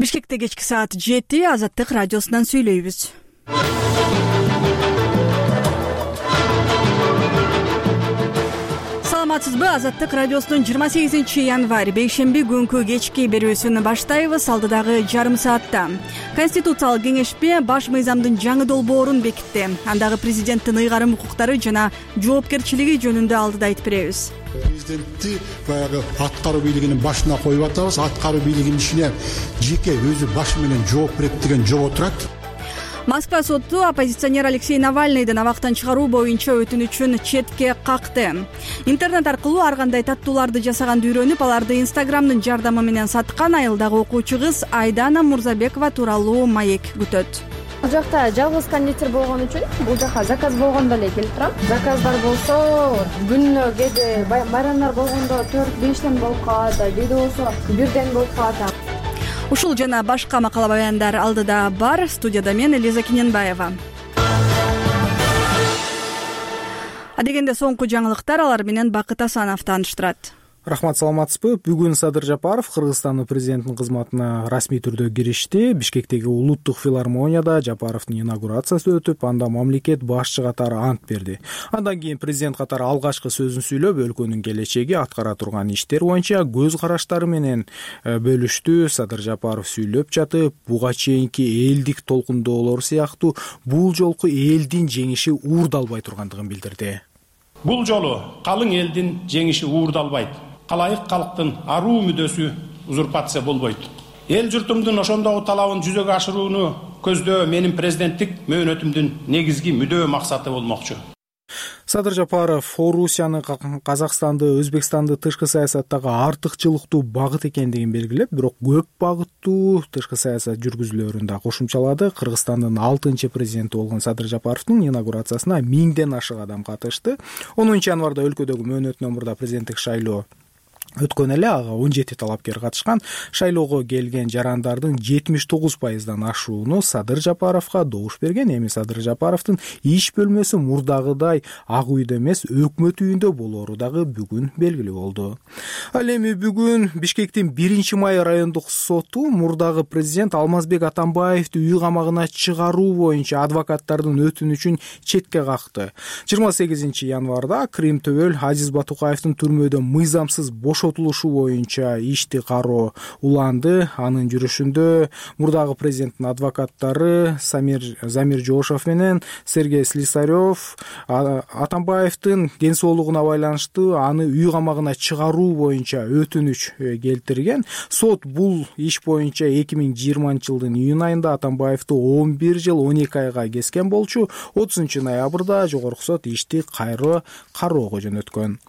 Бишкекте кечки саат 7 Азаттык радиосунан сүйлөйбүз. Саламатсызбы? Азаттык радиосунун 28 январь бейшемби күнкү кечки берүүсүн баштайбыз. Алдыдагы жарым саатта Конституциялык кеңешпе баш мыйзамдын жаңы долбоорун бекитти. Андагы президенттин ыйгарым укуктары жана жоопкерчилиги жөнүндө алдыда айтып беребиз. Президентти баягы аткаруу бийлигинин башына коюп атабыз. Аткаруу бийлигинин ичине жеке өзү башы менен жооп берет деген жобо турат. Москва соту оппозиционер Алексей Навальныйдын абактан чыгаруу боюнча өтүнүчүн четке какты. Интернет аркылуу ар кандай таттууларды жасаганды үйрөнүп, аларды Инстаграмдын жардамы менен саткан айылдагы окуучу кыз Айдана Мурзабекова тууралуу маек күтөт. Бул жакта жалгыз кондитер болгон үчүн бул жака заказ болгондо эле келип турам. Заказдар болсо күнүнө кээде байрамдар болгондо 4-5тен болуп калат, кээде болсо 1ден болуп калат. Ушул жана башка макала баяндар алдыда бар. Студияда мен Элиза Киненбаева. Адегенде соңку жаңылыктар, алар менен Бакыт Асанов тааныштырат. Рахмат, саламатсызбы? Бүгүн Садыр Жапаров Кыргызстандын президентинин кызматына расмий түрдө киришти. Бишкектеги улуттук филармонияда Жапаровдун инаугурациясы өтүп, анда мамлекет башчы катары ант берди. Андан кийин президент катары алгачкы сөзүн сүйлөп, өлкөнүн келечеги, аткара турган иштер боюнча көз караштары менен бөлүштү. Садыр Жапаров сүйлөп жатып, буга чейинки элдик толкундоолор сыяктуу бул жолку элдин жеңиши уурдалбай тургандыгын билдирди. Бул жолу калың элдин жеңиши уурдалбайт. Калайык калктын аруу мүдөсү узурпация болбойт. Эл журтумдун ошондогу талабын жүзөгө ашырууну көздөө менин президенттик мөөнөтүмдүн негизги мүдөө максаты болмокчу. Садыр Жапаров Орусияны, Казакстанды, Өзбекстанды тышкы саясаттагы артыкчылыктуу багыт экендигин белгилеп, бирок көп багыттуу тышкы саясат жүргүзүүлөрүн да кошумчалады. Кыргызстандын 6-чы президенти болгон Садыр Жапаровдун инаугурациясына 1000ден ашык адам катышты. 10 январда өлкөдөгү мөөнөтүнөн мурда президенттик шайлоо өткөн эле, ага 17 талапкер катышкан. Шайлоого келген жарандардын 79%дан ашууну Садыр Жапаровго добуш берген. Эми Садыр Жапаровдун иш бөлмөсү мурдагыдай ак үйдө эмес, өкмөт үйүндө болору дагы бүгүн белгилүү болду. Ал эми бүгүн Бишкектин 1-май райондук соту мурдагы президент Алмазбек Атамбаевди үй камагына чыгаруу боюнча адвокаттардын өтүнүчүн четке какты. 28 январда Крим Төбөл Азиз Батукаевдин түрмөдө мыйзамсыз бошотулушу боюнча ишти кароо уланды. Анын жүрүшүндө мурдагы президенттин адвокаттары Замир Жошов менен Сергей Слесарев Атамбаевдин ден соолугуна байланыштуу аны үй камагына чыгаруу боюнча өтүнүч келтирген. Сот бул иш боюнча 2020-жылдын июнь айында Атамбаевди 11 жыл 12 айга кескен болчу. 30 ноябрда жогорку сот ишти кайра кароого жөнөткөн.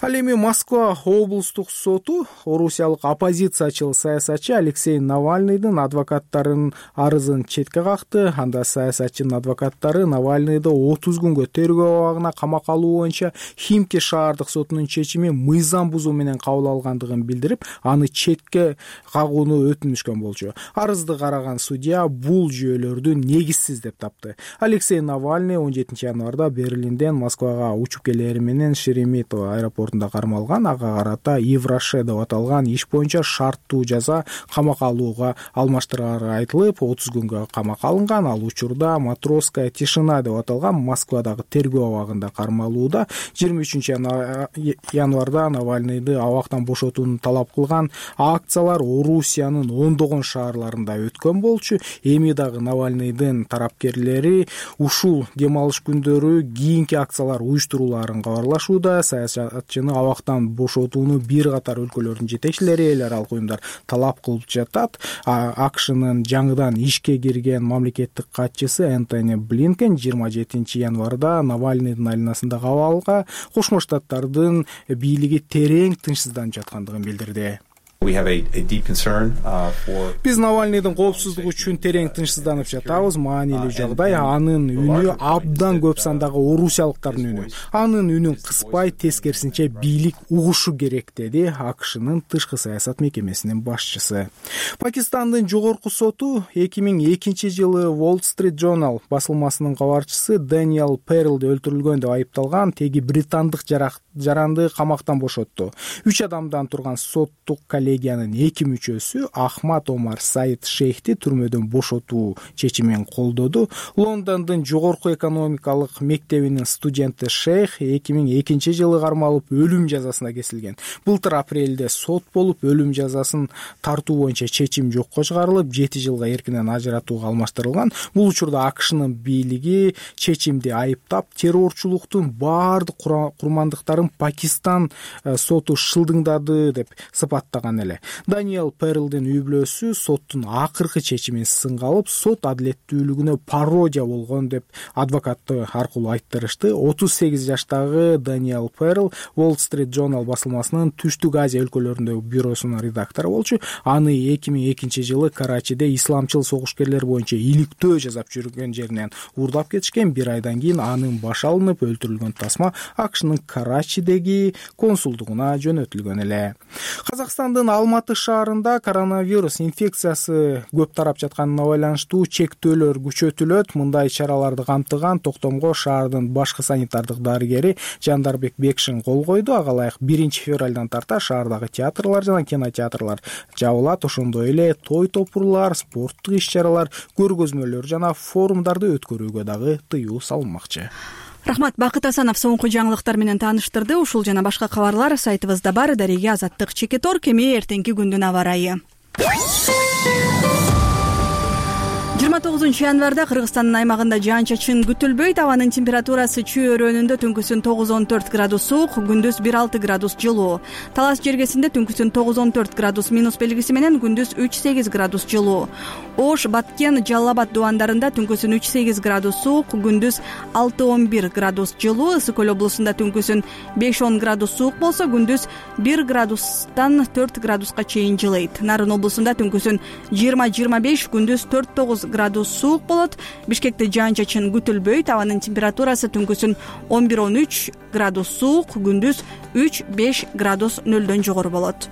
Ал эми Москва облустук соту орусиялык оппозициячыл саясатчы Алексей Навальныйдын адвокаттарынын арызын четке какты. Анда саясатчынын адвокаттары Навальныйды 30 күнгө тергөө абагына камакка алуу боюнча Химки шаардык сотунун чечими мыйзам бузуу менен кабыл алгандыгын билдирип, аны четке кагууну өтүнүшкөн болчу. Арызды караган судья бул жүйөлөрдү негизсиз деп тапты. Алексей Навальный 17 январда Берлинден Москвага учуп келери менен Шереметьево аэропортунда кармалган. Ага карата Евроше деп аталган иш боюнча шарттуу жаза камакка алууга алмаштырары айтылып, 30 күнгө камакка алынган. Ал учурда Матросская тишина деп аталган Москвадагы тергөө абагында кармалууда. 23 январда Навальныйды абактан бошотууну талап кылган акциялар Орусиянын ондогон шаарларында өткөн болчу. Эми дагы Навальныйдын тарапкерлери ушул дем алыш күндөрү кийинки акциялар уюштуруларын кабарлашууда. Саясатчыны абактан бошотууну бир катар өлкөлөрдүн жетекчилери, эл аралык уюмдар талап кылып жатат. АКШнын жаңыдан ишке кирген мамлекеттик катчысы Энтони Блинкен 27 январда Навальныйдын айланасындагы абалга Кошмо Штаттардын бийлиги терең тынчсызданып жаткандыгын билдирди. Биз Навальныйдын коопсуздугу үчүн терең тынчсызданып жатабыз. Маанилүү жагдай. Анын үнү абдан көп сандагы орусиялыктардын үнү. Анын үнүн кыспай, тескерисинче бийлик угушу керек, деди АКШнын тышкы саясат мекемесинин башчысы. Пакистандын жогорку соту 2002 жылы Wall Street Journal басылмасынын кабарчысы Дэниел Перлди өлтүрүлгөн деп айыпталган теги британдык жаранды камактан бошотту. 3 адамдан турган соттук коллегиянын 2 мүчөсү Ахмад Омар Саид Шейхти түрмөдөн бошотуу чечимин колдоду. Лондондун жогорку экономикалык мектебинин студенти Шейх 2002 жылы кармалып өлүм жазасына кесилген. Былтыр апрелде сот болуп, өлүм жазасын тартуу боюнча чечим жокко чыгарылып, 7 жылга эркинен ажыратууга алмаштырылган. Бул учурда АКШнын бийлиги чечимди айыптап, террорчулуктун баардык курмандыктарын Пакистан соту шылдыңдады деп сыпаттаган эле. Даниэл Перлдин үй-бүлөсү соттун акыркы чечимин сынга алып, сот адилеттүүлүгүнө пародия болгон деп адвокаты аркылуу айттырышты. 38 жаштагы Даниэл Перл Wall Street Journal басылмасынын Түштүк Азия өлкөлөрүндөгү бюросунун редактору болчу. Аны 2002 жылы Карачиде исламчыл согушкерлер боюнча иликтөө жасап жүргөн жеринен уурдап кетишкен. 1 айдан кийин анын башы алынып, өлтүрүлгөн тасма АКШнын Карачидеги консулдугуна жөнөтүлгөн эле. Казакстандын Алматы шаарында коронавирус инфекциясы көп тарап жатканына байланыштуу чектөөлөр күчөтүлөт. Мындай чараларды камтыган токтомго шаардын башкы санитардык дарыгери Жандарбек Бекшин кол койду. Ага ылайык 1 февралдан тарта шаардагы театрлар жана кинотеатрлар жабылат. Ошондой эле той-топурлар, спорттук иш-чаралар, көргөзмөлөр жана форумдарды өткөрүүгө дагы тыюу салынмакчы. Рахмат, Бакыт Асанов соңку жаңылыктар менен тааныштырды. Ушул жана башка кабарлар сайтыбызда бар. Дареге Азаттык Чекетор. Кеми эртеңки күндүн аба ырайы. 29 январда Кыргызстандын аймагында жаан-чачын күтүлбөйт. Абанын температурасы чүй өрөөнүндө түнкүсүн 9-14 градус суук, күндүз 1-6 градус жылуу. Талас жергесинде түнкүсүн 9-14 градус минус белгиси менен, күндүз 3-8 градус жылуу. Ош, Баткен, Жалал Абад дубандарында түнкүсүн 3-8 градус суук, күндүз 6-11 градус жылуу. Ысык Көл облусунда түнкүсүн 5-10 градус суук болсо, күндүз 1 градустан 4 градуска чейин жылыйт. Нарын облусунда түнкүсүн 20-25, күндүз 4-9 градус суук болот. Бишкекте жаан-чачын күтүлбөйт. Абанын температурасы түнкүсүн 11-13 градус суук, күндүз 3-5 градус нөлдөн жогору болот.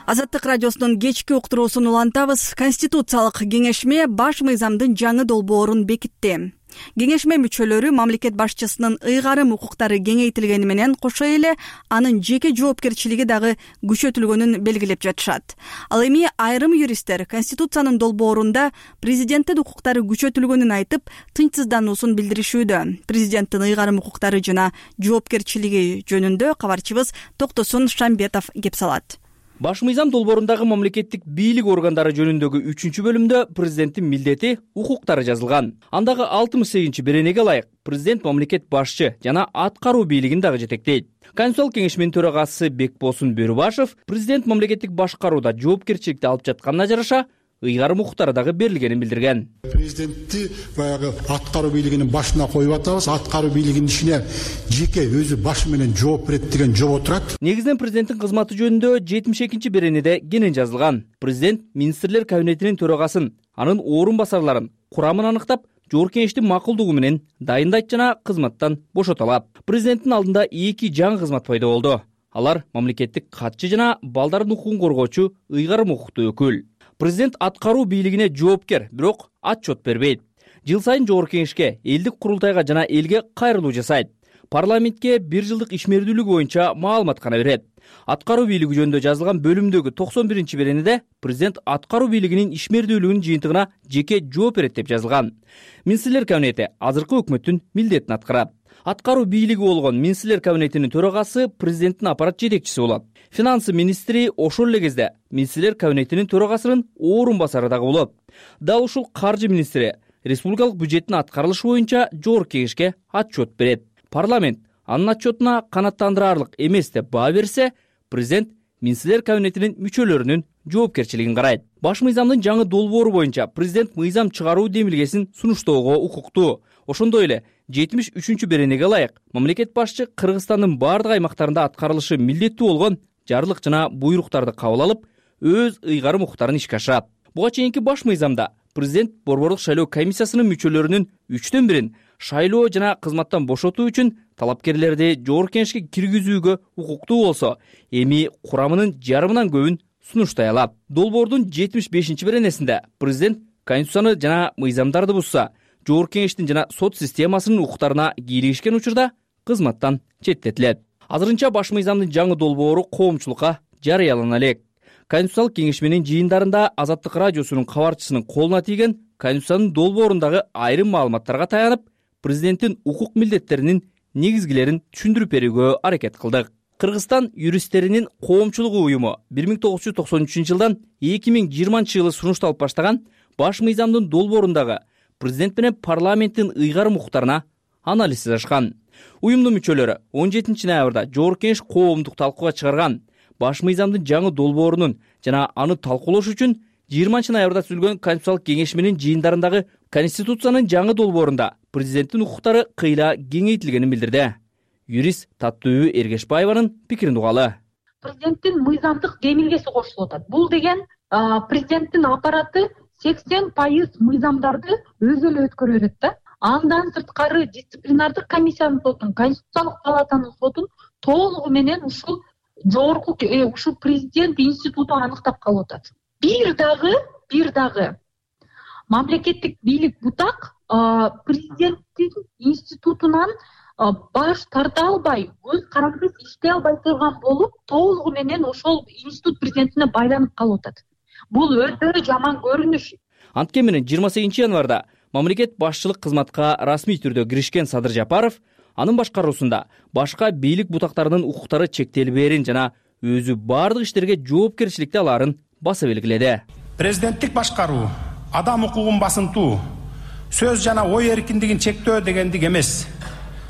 Азаттык радиосунун кечки уктуруусун улантабыз. Конституциялык кеңешме баш мыйзамдын жаңы долбоорун бекитти. Кеңешме мүчөлөрү мамлекет башчысынын ыйгарым укуктары кеңейтилгени менен кошо эле анын жеке жоопкерчилиги дагы күчөтүлгөнүн белгилеп жатышат. Ал эми айрым юристтер Конституциянын долбоорунда президенттин укуктары күчөтүлгөнүн айтып, тынчсыздануусун билдиришүүдө. Президенттин ыйгарым укуктары жана жоопкерчилиги жөнүндө кабарчыбыз Токтосун Шамбетов кеп салат. Баш мыйзам долбоорундагы мамлекеттик бийлик органдары жөнүндөгү 3-бөлүмдө президенттин милдети, укуктары жазылган. Андагы 68 беренеге ылайык президент мамлекет башчы жана аткаруу бийлигин дагы жетектейт. Конституциялык кеңешменин төрагасы Бекбосун Бөрүбашев президент мамлекеттик башкарууда жоопкерчиликти алып жатканына жараша ыйгарым укуктары дагы берилгенин билдирген. Президентти баягы аткаруу бийлигинин башына коюп атабыз. Аткаруу бийлигинин ичине жеке өзү башы менен жооп берет деген жобо турат. Негизинен президенттин кызматы жөнүндө 72 беренеде кенен жазылган. Президент министрлер кабинетинин төрагасын, анын орун басарларын, курамын аныктап, жогорку кеңештин макулдугу менен дайындайт жана кызматтан бошото алат. Президенттин алдында 2 жаңы кызмат пайда болду. Алар мамлекеттик катчы жана балдардын укугун коргоочу ыйгарым укуктуу өкүл. Президент аткаруу бийлигине жоопкер, бирок отчет бербейт. Жыл сайын жогорку кеңешке, элдик курултайга жана элге кайрылуу жасайт. Парламентке 1 жылдык ишмердүүлүгү боюнча маалымат гана берет. Аткаруу бийлиги жөнүндө жазылган бөлүмдөгү 91 беренеде президент аткаруу бийлигинин ишмердүүлүгүнүн жыйынтыгына жеке жооп берет деп жазылган. Министрлер кабинети азыркы өкмөттүн милдетин аткарат. Аткаруу бийлиги болгон министрлер кабинетинин төрагасы президенттин аппарат жетекчиси болот. Финансы министри ошол эле кезде министрлер кабинетинин төрагасынын орун басары дагы болот. Дал ушул каржы министри республикалык бюджеттин аткарылышы боюнча жогорку кеңешке отчет берет. Парламент анын отчетуна канааттандырарлык эмес деп баа берсе, президент министрлер кабинетинин мүчөлөрүнүн жоопкерчилигин карайт. Баш мыйзамдын жаңы долбоору боюнча президент мыйзам чыгаруу демилгесин сунуштоого укуктуу. Ошондой эле 73 беренеге ылайык мамлекет башчы Кыргызстандын бардык аймактарында аткарылышы милдеттүү болгон жарлык жана буйруктарды кабыл алып, өз ыйгарым укуктарын ишке ашырат. Буга чейинки баш мыйзамда президент борбордук шайлоо комиссиясынын мүчөлөрүнүн 3/1 шайлоо жана кызматтан бошотуу үчүн талапкерлерди жогорку кеңешке киргизүүгө укуктуу болсо, эми курамынын жарымынан көбүн сунуштай алат. Долбоордун 75 беренесинде президент конституцияны жана мыйзамдарды бузса, жогорку кеңештин жана сот системасынын укуктарына кийлигишкен учурда кызматтан четтетилет. Азырынча баш мыйзамдын жаңы долбоору коомчулукка жарыялана элек. Конституциялык кеңеш менен жыйындарында Азаттык радиосунун кабарчысынын колуна тийген Конституциянын долбоорундагы айрым маалыматтарга таянып, президенттин укук милдеттеринин негизгилерин түшүндүрүп берүүгө аракет кылдык. Кыргызстан юристтеринин коомчулугу уюму 1993 жылдан 2020 жылы сунушталып баштаган баш мыйзамдын долбоорундагы президент менен парламенттин ыйгарым укуктарына анализ жасашкан. Уюмдун мүчөлөрү 17 ноябрда жогорку кеңеш коомдук талкууга чыгарган баш мыйзамдын жаңы долбоорунун жана аны талкуулош үчүн 20 ноябрда түзүлгөн Конституциялык кеңеш менен жыйындарындагы Конституциянын жаңы долбоорунда президенттин укуктары кыйла кеңейтилгенин билдирди. Юрист Таттуу Эргешбаеванын пикирин угалы. Президенттин мыйзамдык демилгеси кошулуп атат. Бул деген президенттин аппараты 80% мыйзамдарды өзү эле өткөрө берет да. Андан сырткары дисциплинардык комиссиянын сотун, Конституциялык палатанын сотун толугу менен ушул жогорку ушул президент институту аныктап калып атат. Бир дагы мамлекеттик бийлик бутак президенттин институтунан баш тарта албай, өз караксыз иштей албай турган болуп, толугу менен ошол институт президентине байланып калып атат. Бул өтө жаман көрүнүш. Анткени менен 28 январда мамлекет башчылык кызматка расмий түрдө киришкен Садыр Жапаров анын башкаруусунда башка бийлик бутактарынын укуктары чектелбээрин жана өзү бардык иштерге жоопкерчиликти алаарын баса белгиледи. Президенттик башкаруу адам укугун басынтуу, сөз жана ой эркиндигин чектөө дегендик эмес.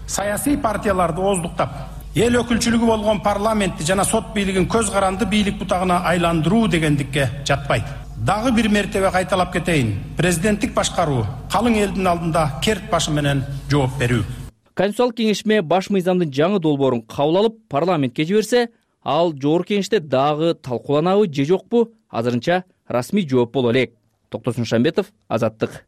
Саясий партияларды ооздуктап, эл өкүлчүлүгү болгон парламентти жана сот бийлигин көз каранды бийлик бутагына айландыруу дегендикке жатпайт. Дагы бир мертебе кайталап кетейин. Президенттик башкаруу калың элдин алдында керт башы менен жооп берүү. Конституциялык кеңешме баш мыйзамдын жаңы долбоорун кабыл алып, парламентке жиберсе, ал жогорку кеңеште дагы талкууланабы же жокпу? Азырынча расмий жооп боло элек. Токтосун Шамбетов, Азаттык.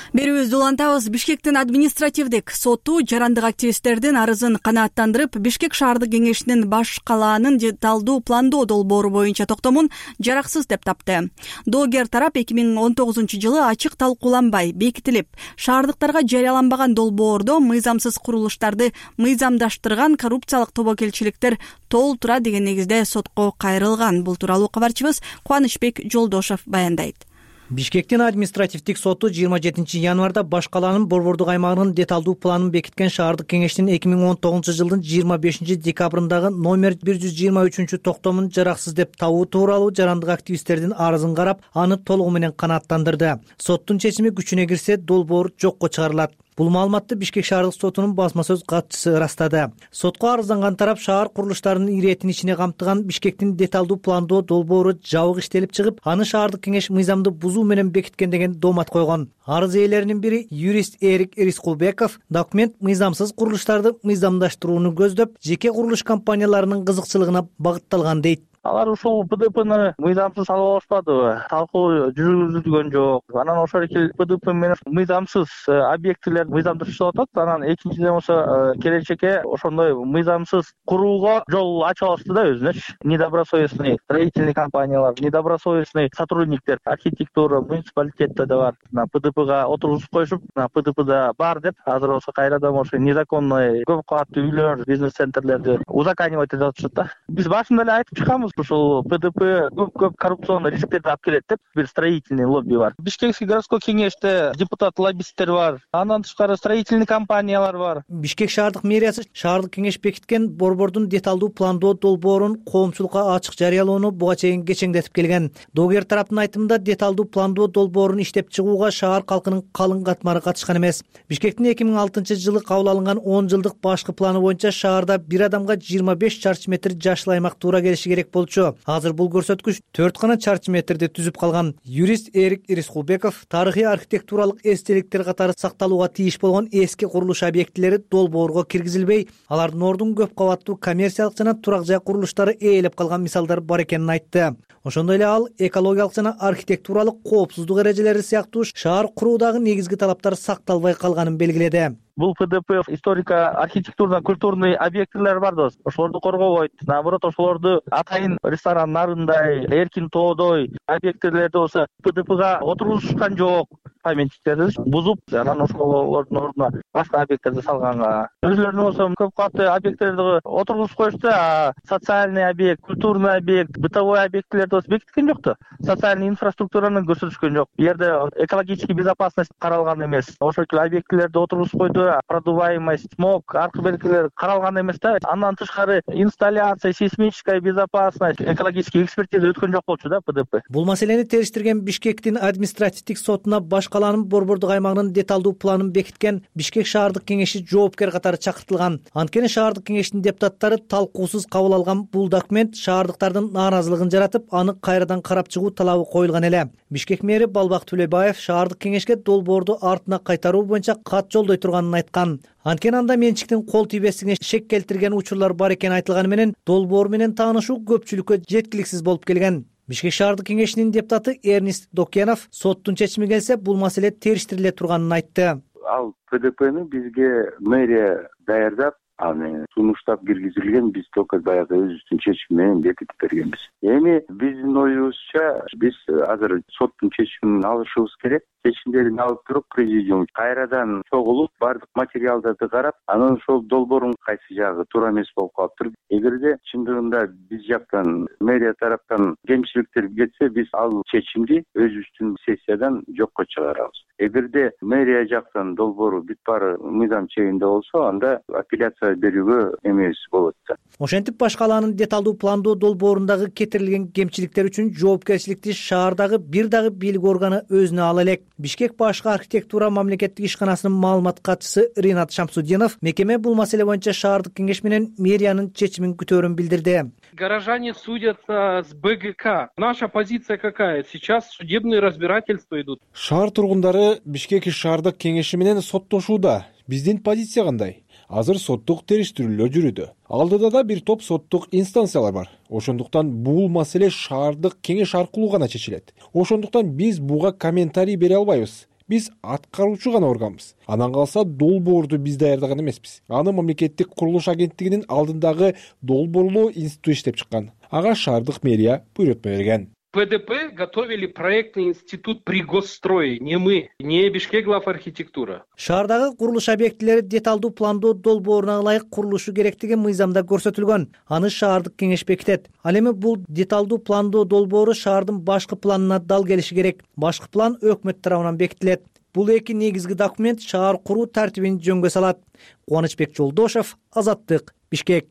Берүүбүздү улантабыз. Бишкектин административдик соту жарандык активисттердин арызын канааттандырып, Бишкек шаардык кеңешинин баш калаанын деталдуу пландоо долбоору боюнча токтомун жараксыз деп тапты. Доогер тарап 2019 жылы ачык талкууланбай бекитилип, шаардыктарга жарыяланбаган долбоордо мыйзамсыз курулуштарды мыйзамдаштырган коррупциялык тобокелчиликтер толтура деген негизде сотко кайрылган. Бул тууралуу кабарчыбыз Кубанычбек Жолдошов баяндайт. Бишкектин административдик соту 27 январда баш калаанын борбордук аймагынын деталдуу планын бекиткен шаардык кеңештин 2019 жылдын 25 декабрындагы номер 123 токтомун жараксыз деп табуу тууралуу жарандык активисттердин арызын карап, аны толугу менен канааттандырды. Соттун чечими күчүнө кирсе, долбоор жокко чыгарылат. Бул маалыматты Бишкек шаардык сотунун басма сөз катчысы ырастады. Сотко арызданган тарап шаар курулуштарынын иретин ичине камтыган Бишкектин деталдуу пландоо долбоору жабык иштелип чыгып, аны шаардык кеңеш мыйзамды бузуу менен бекиткен деген доомат койгон. Арыз ээлеринин бири юрист Эрик Ирискулбеков документ мыйзамсыз курулуштарды мыйзамдаштырууну көздөп, жеке курулуш компанияларынын кызыкчылыгына багытталган дейт. Алар ушул ПДПны мыйзамсыз алып алышпадыбы? Талкуу жүргүзүлгөн жок. Анан ошол эле ПДП менен мыйзамсыз объектилер мыйзамдаштырылып атат. Анан экинчиден болсо келечекке ошондой мыйзамсыз курууга жол ачып алышты да өзүнөчү. Недобросовестный строительный компаниялар, недобросовестный сотрудниктер, архитектура, муниципалитетте да бар. ПДПга отургузуп коюшуп, ПДПда бар деп, азыр болсо кайрадан ошо незаконный көп кабаттуу үйлөр, бизнес-центрлерди узаконивать этип атышат да. Биз башында эле айтып чыкканбыз, ушул ПДП көп коррупционный рисктерди алып келет деп, бир строительный лобби бар. Бишкекский городской кеңеште депутат-лоббисттер бар. Андан тышкары строительный компаниялар бар. Бишкек шаардык мэриясы шаардык кеңеш бекиткен борбордун деталдуу пландоо долбоорун коомчулукка ачык жарыялоону буга чейин кечеңдетип келген. Доогер тараптын айтымында деталдуу пландоо долбоорун иштеп чыгууга шаар калкынын калың катмары катышкан эмес. Бишкектин 2006 жылы кабыл алынган 10 жылдык башкы планы боюнча шаарда бир адамга 25 чарчы метр жашыл аймак туура келиши керек болчу. Азыр бул көрсөткүч 4 гана чарчы метрди түзүп калган. Юрист Эрик Ирискулбеков тарыхый архитектуралык эстеликтер катары сакталууга тийиш болгон эски курулуш объектилери долбоорго киргизилбей, алардын ордун көп кабаттуу коммерциялык жана турак жай курулуштары ээлеп калган мисалдар бар экенин айтты. Ошондой эле ал экологиялык жана архитектуралык коопсуздук эрежелери сыяктуу шаар куруудагы негизги талаптар сакталбай калганын белгиледи. Бул ПДП историко-архитектурно культурный объектилер бар да, ошолорду коргобойт. Наоборот, ошолорду атайын ресторан нарындай, эркин тоодой объектилерди болсо ПДПга отургузушкан жок. Памятниктерди бузуп, анан ошолордун ордуна башка объекттерди салганга. Өзүлөрүнүн болсо көп катты объекттерди отургузуп коюшту, а социальный объект, культурный объект, бытовой объектлерди болсо бекиткен жок да. Социальный инфраструктураны көрсөтүшкөн жок. Бу жерде экологический безопасность каралган эмес. Ошол объектлерди отургузуп койду, продуваемость, смог, аркы белгилер каралган эмес да. Андан тышкары инсталляция, сейсмическая безопасность, экологический экспертиза өткөн жок болчу да ПДП. Бул маселени териштирген Бишкектин административдик сотуна баш калаанын борбордук аймагынын деталдуу планын бекиткен Бишкек шаардык кеңеши жоопкер катары чакыртылган. Анткени шаардык кеңештин депутаттары талкуусуз кабыл алган бул документ шаардыктардын нааразылыгын жаратып, аны кайрадан карап чыгуу талабы коюлган эле. Бишкек мэри Балбак Төлөбаев шаардык кеңешке долбоорду артына кайтаруу боюнча кат жолдой турганын айткан. Анткени анда менчиктин кол тийбестигине шек келтирген учурлар бар экени айтылганы менен долбоор менен таанышуу көпчүлүккө жеткиликсиз болуп келген. Бишкек шаардык кеңешинин депутаты Эрнист Докенов соттун чечими келсе бул маселе териштириле турганын айтты. Ал ПДПны бизге мэрия даярдап, аны сунуштап киргизилген, биз только баягы өзүбүздүн чечими менен бекитип бергенбиз. Эми биздин оюбузча биз азыр соттун чечимин алышыбыз керек. Чечимдерин алып туруп президиум кайрадан чогулуп, бардык материалдарды карап, анан ошол долбоордун кайсы жагы туура эмес болуп калыптыр. Эгерде чындыгында биз жактан мэрия тараптан кемчиликтер кетсе, биз ал чечимди өзүбүздүн сессиядан жокко чыгарабыз. Эгерде мэрия жактан долбоору бүт баары мыйзам чегинде болсо, анда апелляция берүүгө эмес болот да. Ошентип баш калаанын деталдуу пландоо долбоорундагы кетирилген кемчиликтер үчүн жоопкерчиликти шаардагы бир дагы бийлик органы өзүнө ала элек. Бишкек башкы архитектура мамлекеттик ишканасынын маалымат катчысы Ринат Шамсудинов мекеме бул маселе боюнча шаардык кеңеш менен мэриянын чечимин күтөөрүн билдирди. Горожане судятся с БГК. Наша позиция какая? Сейчас судебные разбирательства идут. Шаар тургундары Бишкек шаардык кеңеши менен соттошууда. Биздин позиция кандай? Азыр соттук териштирүүлөр жүрүүдө. Алдыда да бир топ соттук инстанциялар бар. Ошондуктан бул маселе шаардык кеңеш аркылуу гана чечилет. Ошондуктан биз буга комментарий бере албайбыз. Биз аткаруучу гана органбыз. Анан калса долбоорду биз даярдаган эмеспиз. Аны мамлекеттик курулуш агенттигинин алдындагы долбоорлоо институту иштеп чыккан. Ага шаардык мэрия буйрутма берген. ПДП готовили проектный институт при госстрое, не мы, не Бишкек главархитектура. Шаардагы курулуш объектилери деталдуу пландоо долбооруна ылайык курулушу керектиги мыйзамда көрсөтүлгөн. Аны шаардык кеңеш бекитет. Ал эми бул деталдуу пландоо долбоору шаардын башкы планына дал келиши керек. Башкы план өкмөт тарабынан бекитилет. Бул эки негизги документ шаар куруу тартибин жөнгө салат. Кубанычбек Жолдошев, Азаттык, Бишкек.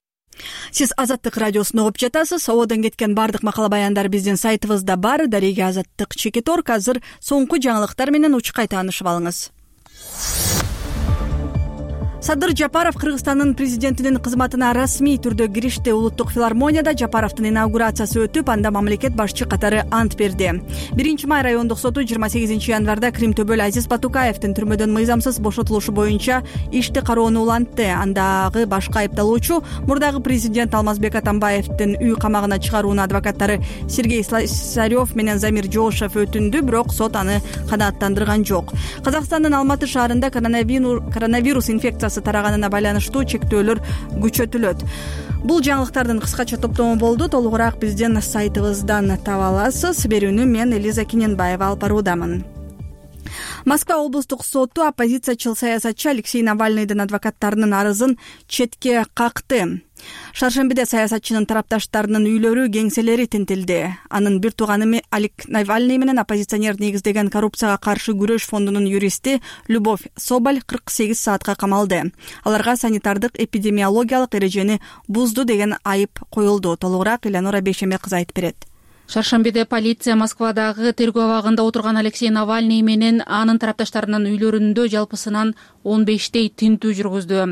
Сиз Азаттык радиосун угуп жатасыз. Ободон кеткен бардык макала баяндар биздин сайтыбызда бар. Дареге Азаттык Чекиторг. Азыр соңку жаңылыктар менен учкай таанышып алыңыз. Садыр Жапаров Кыргызстандын президентинин кызматына расмий түрдө киришти. Улуттук филармонияда Жапаровдун инаугурациясы өтүп, анда мамлекет башчы катары ант берди. 1-май райондук соту 28 январда Крим төбөл Азиз Батукаевдин түрмөдөн мыйзамсыз бошотулушу боюнча ишти кароону улантты. Андагы башкы айыпталуучу мурдагы президент Алмазбек Атамбаевдин үй камагына чыгарууну адвокаттары Сергей Слесарев менен Замир Жошев өтүндү, бирок сот аны канааттандырган жок. Казакстандын Алматы шаарында коронавирус инфекциясы тараганына байланыштуу чектөөлөр күчөтүлөт. Бул жаңылыктардын кыскача топтому болду. Толугураак биздин сайтыбыздан таба аласыз. Берүүнү мен Элиза Киненбаева алып баруудамын. Москва облустук соту оппозициячыл саясатчы Алексей Навальныйдын адвокаттарынын арызын четке какты. Шаршембиде саясатчынын тарапташтарынын үйлөрү, кеңселери тинтилди. Анын бир тууганы Алексей Навальный менен оппозиционер негиздеген коррупцияга каршы күрөш фондунун юристи Любовь Соболь 48 саатка камалды. Аларга санитардык эпидемиологиялык эрежени бузду деген айып коюлду. Толугураак Элеонора Бейшембек кызы айтып берет. Шаршембиде полиция Москвадагы тергөө абагында отурган Алексей Навальный менен анын тарапташтарынын үйлөрүндө жалпысынан 15 тинтүү жүргүздү.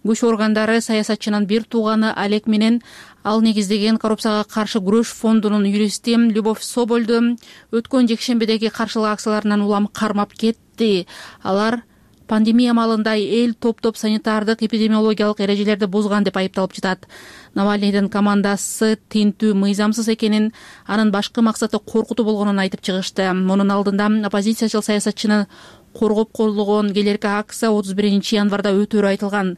Күч органдары саясатчынын бир тууганы Алек менен ал негиздеген коррупцияга каршы күрөш фондунун юристи Любовь Собольду өткөн жекшембидеги каршылык акцияларынан улам кармап кетти. Алар пандемия маалында эл топтоп санитардык эпидемиологиялык эрежелерди бузган деп айыпталып жатат. Навальныйдын командасы тинтүү мыйзамсыз экенин, анын башкы максаты коркутуу болгонун айтып чыгышты. Мунун алдында оппозициячыл саясатчыны коргоп колдогон келерки акция 31 январда өтөөрү айтылган.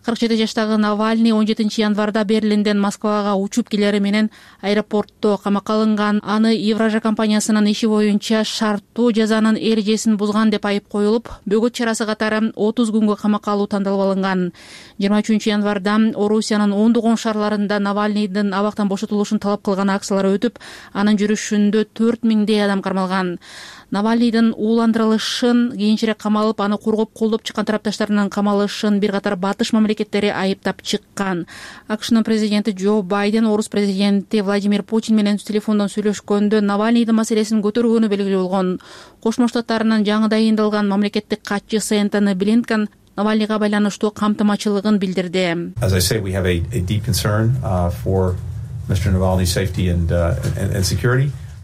47 жаштагы Навальный 17 январда Берлинден Москвага учуп келери менен аэропортто камакка алынган. Аны Евража компаниясынын иши боюнча шарттуу жазанын эрежесин бузган деп айып коюлуп, бөгөт чарасы катары 30 күнгө камакка алуу тандалып алынган. 23 январда Орусиянын ондогон шаарларында Навальныйдын абактан бошотулушун талап кылган акциялар өтүп, анын жүрүшүндө 4000 адам кармалган. Навальныйдын ууландырылышын, кийинчерээк камалып, аны коргоп колдоп чыккан тарапташтарынын камалышын бир катар батыш мамлекеттери айыптап чыккан. АКШнын президенти Джо Байден орус президенти Владимир Путин менен телефондон сүйлөшкөндө Навальныйдын маселесин көтөргөнү белгилүү болгон. Кошмо Штаттарынын жаңы дайындалган мамлекеттик катчысы Энтони Блинкен Навальныйга байланыштуу камтымачылыгын билдирди.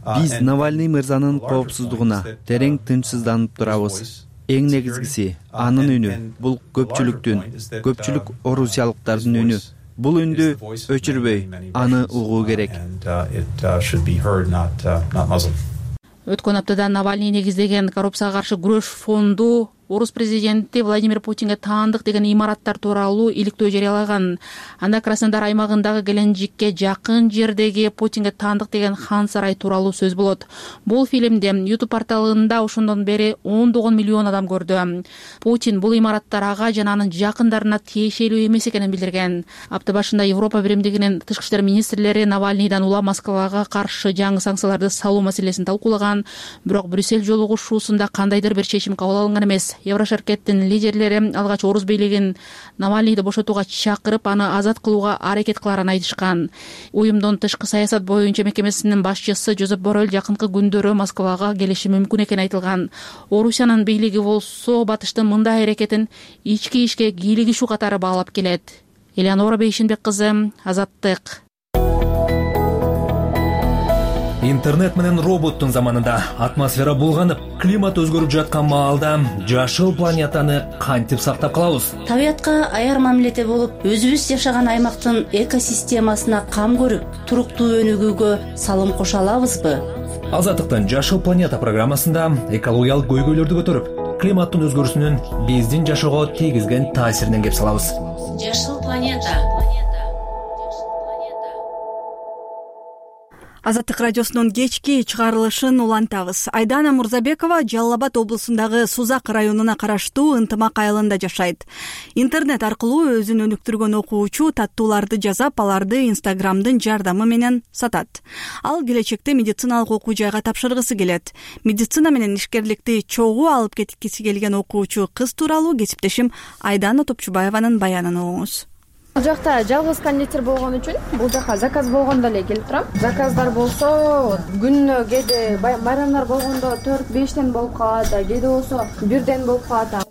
Биз Навальный мырзанын коопсуздугуна терең тынчсызданып турабыз. Эң негизгиси анын үнү. Бул көпчүлүк орусиялыктардын үнү. Бул үндү өчүрбөй, аны угуу керек. Өткөн аптада Навальный негиздеген коррупцияга каршы күрөш фонду орус президенти Владимир Путинге таандык деген имараттар тууралуу иликтөө жарыялаган. Анда Краснодар аймагындагы Геленджикке жакын жердеги Путинге таандык деген хан сарай тууралуу сөз болот. Бул фильмди YouTube порталында ошондон бери 10 миллион адам көрдү. Путин бул имараттар ага жана анын жакындарына тиешелүү эмес экенин билдирген. Апта башында Европа биримдигинин тышкы иштер министрлери Навальныйдан улам Москвага каршы жаңы санкцияларды салуу маселесин талкуулаган, бирок Брюссель жолугушуусунда кандайдыр бир чечим кабыл алынган эмес. Еврошеркеттин лидерлери алгач орус бийлигин Навальныйды бошотууга чакырып, аны азат кылууга аракет кыларын айтышкан. Уюмдун тышкы саясат боюнча мекемесинин башчысы Жозеп Боррель жакынкы күндөрү Москвага келиши мүмкүн экени айтылган. Орусиянын бийлиги болсо батыштын мындай аракетин ички ишке кийлигишүү катары баалап келет. Элеонора Бейшенбек кызы, Азаттык. Интернет менен роботтун заманында атмосфера булганып, климат өзгөрүп жаткан маалда жашыл планетаны кантип сактап калабыз? Табиятка аяр мамиледе болуп, өзүбүз жашаган аймактын экосистемасына кам көрүп, туруктуу өнүгүүгө салым кошо алабызбы? Азаттыктын Жашыл планета программасында экологиялык көйгөйлөрдү көтөрүп, климаттын өзгөрүүсүнүн биздин жашоого тийгизген таасиринен кеп салабыз. Жашыл планета. Азаттык радиосунун кечки чыгарылышын улантабыз. Айдана Мурзабекова Жалал Абад облусундагы Сузак районуна караштуу Ынтымак айылында жашайт. Интернет аркылуу өзүн өнүктүргөн окуучу таттууларды жазап, аларды Инстаграмдын жардамы менен сатат. Ал келечекте медициналык окуу жайга тапшыргысы келет. Медицина менен ишкерликти чогуу алып кеткиси келген окуучу кыз тууралуу кесиптешим Айдана Топчубаеванын баянын угуңуз. Бул жакта жалгыз кондитер болгон үчүн бул жака заказ болгондо эле келип турам. Заказдар болсо күнүнө кээде байрамдар болгондо 4-5тен болуп калат, кээде болсо 1ден болуп калат.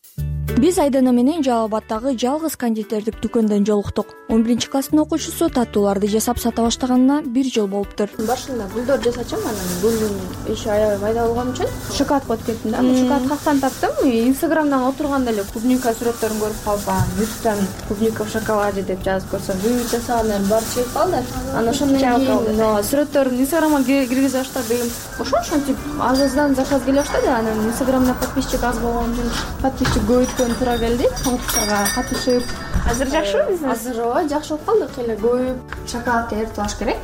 Биз Айдана менен Жалал Абадтагы жалгыз кондитердик дүкөндөн жолуктук. 11-класстын окуучусу таттууларды жасап сата баштаганына 1 жыл болуптур. Башында гүлдөр жасачам, анан гүлдүн иши аябай майда болгон үчүн шоколад коюп кеттим да. Шоколад кактан таптым. Инстаграмдан отурганда эле клубника сүрөттөрүн көрүп калып, ютубтан клубника в шоколаде деп жазып көрсөм, бүт жасагандар баары чыгып калды. Анан ошондон кийин сүрөттөрүн Инстаграмга киргизе баштадым. Ошентип аздан заказ келе баштады. Анан Инстаграмда подписчик аз болгон үчүн подписчик көбөйткөн туура келди. Конкурстарга катышып. Азыр жакшыбы бизнес? Азыр жакшы болуп калдык. Эле коюп шоколадты эритип алыш керек.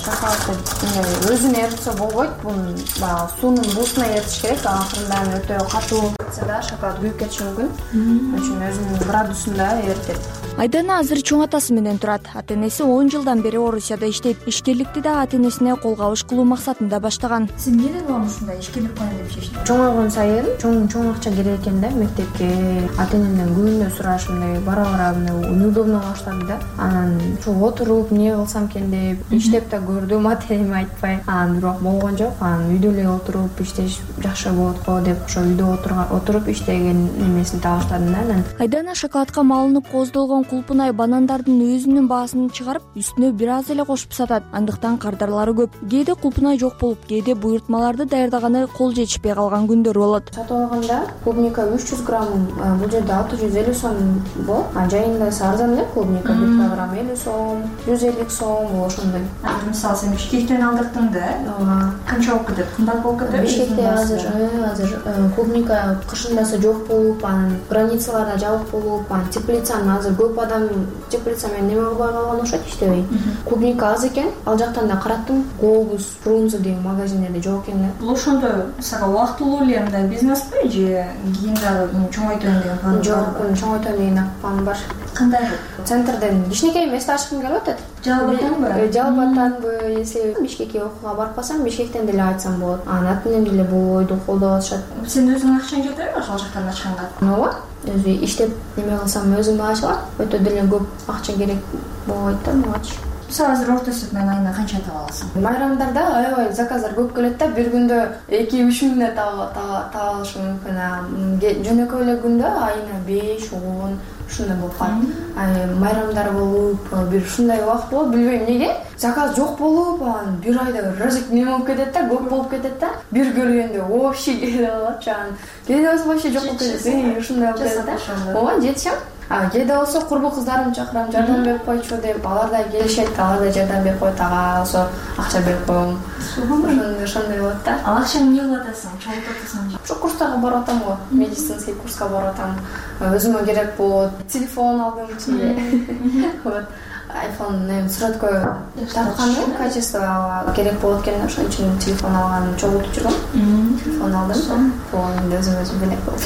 Шоколадты өзүнө эритсе болбойт. Бунун баягы суунун буусуна эритиш керек. Акырында өтө катуу кетсе да шоколад күйүп кетиши мүмкүн. Ошон үчүн өзүнүн градусунда эритет. Айдана азыр чоң атасы менен турат. Ата-энеси 10 жылдан бери Орусияда иштейт. Ишкерликти да ата-энесине кол кабыш кылуу максатында баштаган. Сиз эмнеден улам ушундай ишкерлик кылайын деп чечтиңиз? Чоңойгон сайын чоң акча керек экен да мектепке. Ата-энемден күнүнө сурашымдай бара-бара неудобно баштады да. Анан чоң отуруп эмне кылсам экен деп иштеп да көрдүм, ата-энеме айтпай. Анан бирок болгон жок. Анан үйдө эле отуруп иштеш жакшы болот го деп ошо үйдө отуруп иштеген эмесин таба баштадым да. Айдана шоколадка малынып кооздолгон Кулпунай банандардын өзүнүн баасын чыгарып, үстүнө бир аз эле кошуп сатат. Андыктан кардарлары көп. Кээде кулпунай жок болуп, кээде буйртмаларды даярдаганы кол жетишпей калган күндөр болот. Сатып алганда клубника 300 грамм бул жерде 650 сом болот. Жайында арзан эле клубника 1 килограмм 50 сом, 150 сом болот ошондой. Мисалы сен Бишкектен алдырдың да, канча болуп кетет? Кымбат болуп кетеби? Бишкекте азыр клубника кышындасы жок болуп, анан границаларда жабык болуп, анан теплицаны азыр көп адам теплица менен неме кылбай калган окшойт, иштебей. Клубника аз экен. Ал жактан да караттым, Глобус, Фрунзе деген магазиндерде жок экен да. Бул ошондой сага убактылуу эле мындай бизнеспи же кийин дагы чоңойтойм деген план? Жок, чоңойтойм деген план бар. Кандай? Центрден кичинекей эмести ачкым келип атат. Жалал Абадтанбы, если Бишкекке окууга барып калсам, Бишкектен деле айтсам болот. Анан атын деле бул ойду колдоп атышат. Сен өзүң акчаң жетеби ошол жактан ачканга? Ооба, өзү иштеп неме кылсам өзүм ачылам. Өтө деле көп акча керек болбойт да мугачы. Мисалы азыр орто эсеп менен айына канча таба аласың? Майрамдарда аябай заказдар көп келет да, бир күндө 2-3 миңден таба алышым мүмкүн. Жөнөкөй эле күндө айына 5-10 ушундай болуп калат. Майрамдар болуп, бир ушундай убакыт болот, билбейм эмнеге. Заказ жок болуп, анан бир айда разик неме болуп кетет да, көп болуп кетет да. Бир көргөндө вообще келе алат жан. Кээде болсо вообще жок болуп кетет. Ушундай болуп кетет да. Ооба, жетишем. Кээде болсо курбу кыздарымды чакырам, жардам берип койчу деп, алар да келишет, алар да жардам берип коет, ага болсо акча берип коем. Ошондой болот да. Ал акчаны эмне кылып атасың? Чогултуп атасың? Ошо курстарга барып атам го, медицинский курска барып атам. Өзүмө керек болот. Телефон алдым, вот. iPhone сүрөткө тартканы качество керек болот экен, ошон үчүн телефон алган, чогултуп жүргөм. Телефон алдым, фонду өзүм белек болду.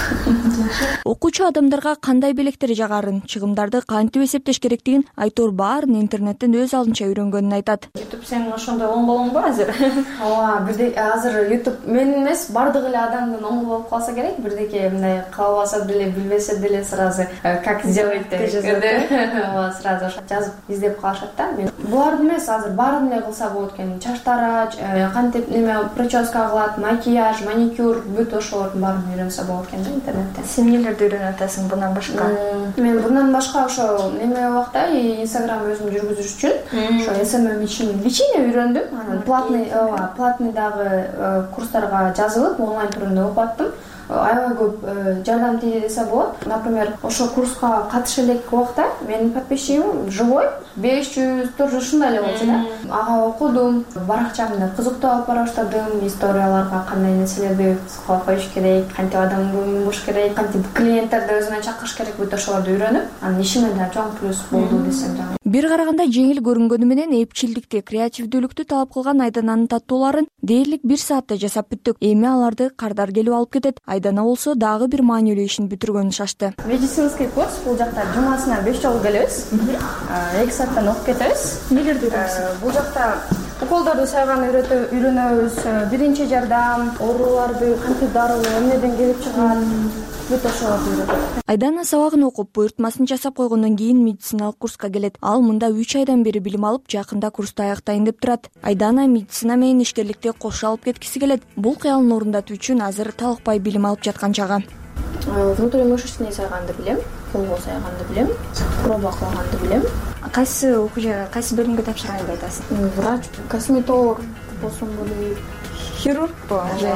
Окуучу адамдарга кандай белектер жагарын, чыгымдарды кантип эсептеш керектигин Айтор баарын интернеттен өз алдынча үйрөнгөнүн айтат. YouTube сенин ошондой оң колуңбу азыр? Ооба, бирдей азыр YouTube менин эмес, бардык эле адамдын оң колу болуп калса керек, бирдеке мындай кылбаса деле, билбесе деле сразу как сделать деп ооба, сразу жазып издеп калышат да. Буларды эмес, азыр баарын эле кылса болот экен. Чач тарач, кантип неме прическа кылат, макияж, маникюр, бүт ошолордун баарын үйрөнсө болот экен да интернеттен. Сен нелерди үйрөнүп атасың bundan башка? Мен bundan башка ошо неме убакта Instagram өзүм жүргүзүш үчүн ошо SMM личине үйрөндүм. Анан платный дагы курстарга жазылып, онлайн түрүндө окуп аттым. Аябай көп жардам тийди десе болот. Например, ошо курска катыша элек убакта менин подписчигим живой 500-400 ушундай эле болчу да. Ага окудум, баракчамды кызыктуу алып бара баштадым, историяларга кандай нерселерди кылып коюш керек, кантип адам болуш керек, кантип клиенттерди өзүнө чакырыш керек, бүт ошолорду үйрөнүп, анан ишиме да чоң плюс болду десем да. Бир караганда жеңил көрүнгөнү менен эпчилдикти, креативдүүлүктү талап кылган Айдананын таттууларын дээрлик 1 саатта жасап бүттүк. Эми аларды кардар келип алып кетет. Айдана болсо дагы бир маанилүү ишин бүтүргөнү шашты. Медицинский курс бул жакта жумасына 5 жолу келебиз. 2 сааттан окуп кетебиз. Нелерди үйрөнөбүз? Бул жакта уколдорду сайган үйрөнөбүз, биринчи жардам, ооруларды кантип дарылоо, эмнеден келип чыгат, бүт ошолорду үйрөнөбүз. Айдана сабагын окуп, буйртмасын жасап койгондон кийин медициналык курска келет. Ал мында 3 айдан бери билим алып, жакында курсту аяктайын деп турат. Айдана медицина менен ишкерликти кошо алып кеткиси келет. Бул кыялын орундатуу үчүн азыр талыкпай билим алып жаткан чагы. Внутримышечный сайганды билем, колго сайганды билем, проба кылганды билем. Кайсы окуучага, кайсы бөлүмгө тапшырганды айтасың? Врач, косметолог болсом болот, хирургбу же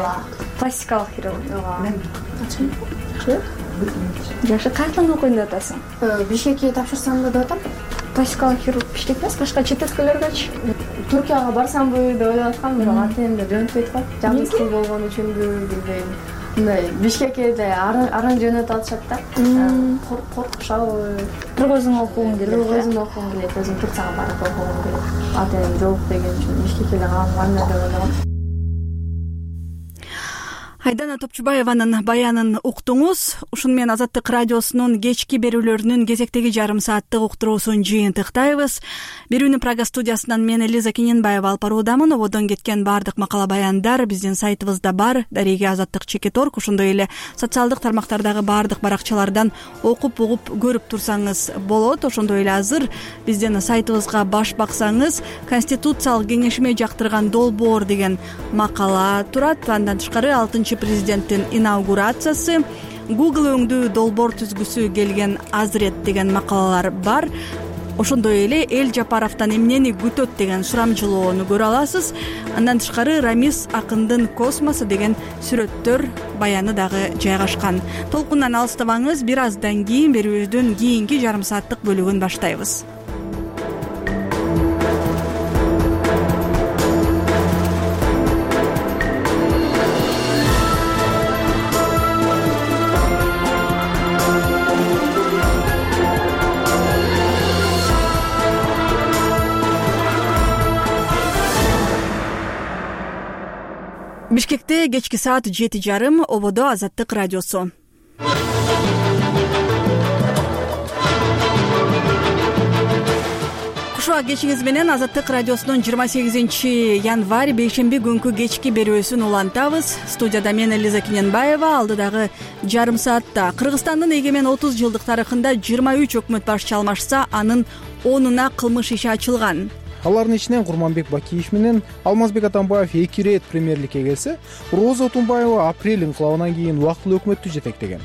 пластикалык хирург? Жакшы, кайдан окуйм деп атасың? Бишкекке тапшырсам деп атам. Пластикалык хирург Бишкек эмес, башка чет өлкөлөргөчү. Түркияга барсамбы деп ойлоп аткам, бирок ата-энем жөнөтпөйт го. Жакын болгон үчүнбү, билбейм. Бишкекке да аран жөнөтүп атышат да. Коркушабы. Бирок өзүң окугуң келет. Өзүм окугум келет, өзүм Турцияга барып окугум келет. Ата-энем жок деген үчүн Бишкекке да калган деп ойлогом. Айдана Топчубаеванын баянын уктуңуз. Ушуну менен Азаттык радиосунун кечки берүүлөрүнүн кезектеги жарым сааттык уктуруусун жыйынтыктайбыз. Берүүнү Прага студиясынан мен Элиза Кененбаева алып баруудамын. Ободон кеткен баардык макала баяндар биздин сайтыбызда бар. Дареги Азаттык.org, ошондой эле социалдык тармактардагы баардык баракчалардан окуп угуп көрүп турсаңыз болот. Ошондой эле азыр биздин сайтыбызга баш баксаңыз, Конституциялык кеңешиме жактырган долбоор деген макала турат. Андан тышкары 6-президенттин инаугурациясы, Google өңдүү долбоор түзгүсү келген азырет деген макалалар бар. Ошондой эле Эл Жапаровдон эмнени күтөт деген сурамжылоону көрө аласыз. Андан тышкары Рамис Акындын Космосу деген сүрөттөр, баяны дагы жайгашкан. Толкундан алыстабаңыз, бир аздан кийин берүүбүздүн кийинки жарым сааттык бөлүгүн баштайбыз. Бишкекте кечки саат 7:30, ободо Азаттык радиосу. Кушуа кечиңиз менен Азаттык радиосунун 28 январь бейшемби күнкү кечки берүүсүн улантабыз. Студияда мен Элиза Кененбаева. Алдыдагы жарым саатта Кыргызстандын эгемен 30 жылдык тарыхында 23 өкмөт башчы алмашса, анын 10-уна кылмыш иши ачылган. Алардын ичинен Курманбек Бакиев менен Алмазбек Атамбаев 2 ирет премьерликке келсе, Роза Тунбаева апрель инкылабынан кийин убактылуу өкмөттү жетектеген.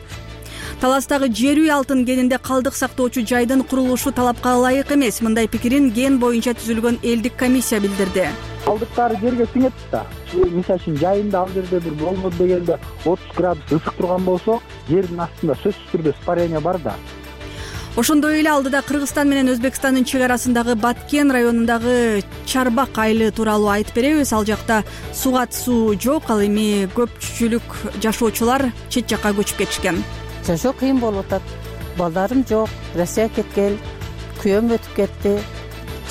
Таластагы жер үй алтын кенинде калдык сактоочу жайдын курулушу талапка ылайык эмес. Мындай пикирин кен боюнча түзүлгөн элдик комиссия билдирди. Калдыктар жерге сиңет да. Мисалы үчүн жайында ал жерде бир болмоду дегенде 30 градус ысык турган болсо, жердин астында сөзсүз түрдө испарение бар да. Ошондой эле алдыда Кыргызстан менен Өзбекстандын чек арасындагы Баткен районундагы Чарбак айылы тууралуу айтып беребиз. Ал жакта сугат суу жок, ал эми көпчүлүк жашоочулар чет жакка көчүп кетишкен. Жашоо кыйын болуп атат. Балдарым жок, Россияга кеткен, күйөөм өтүп кетти.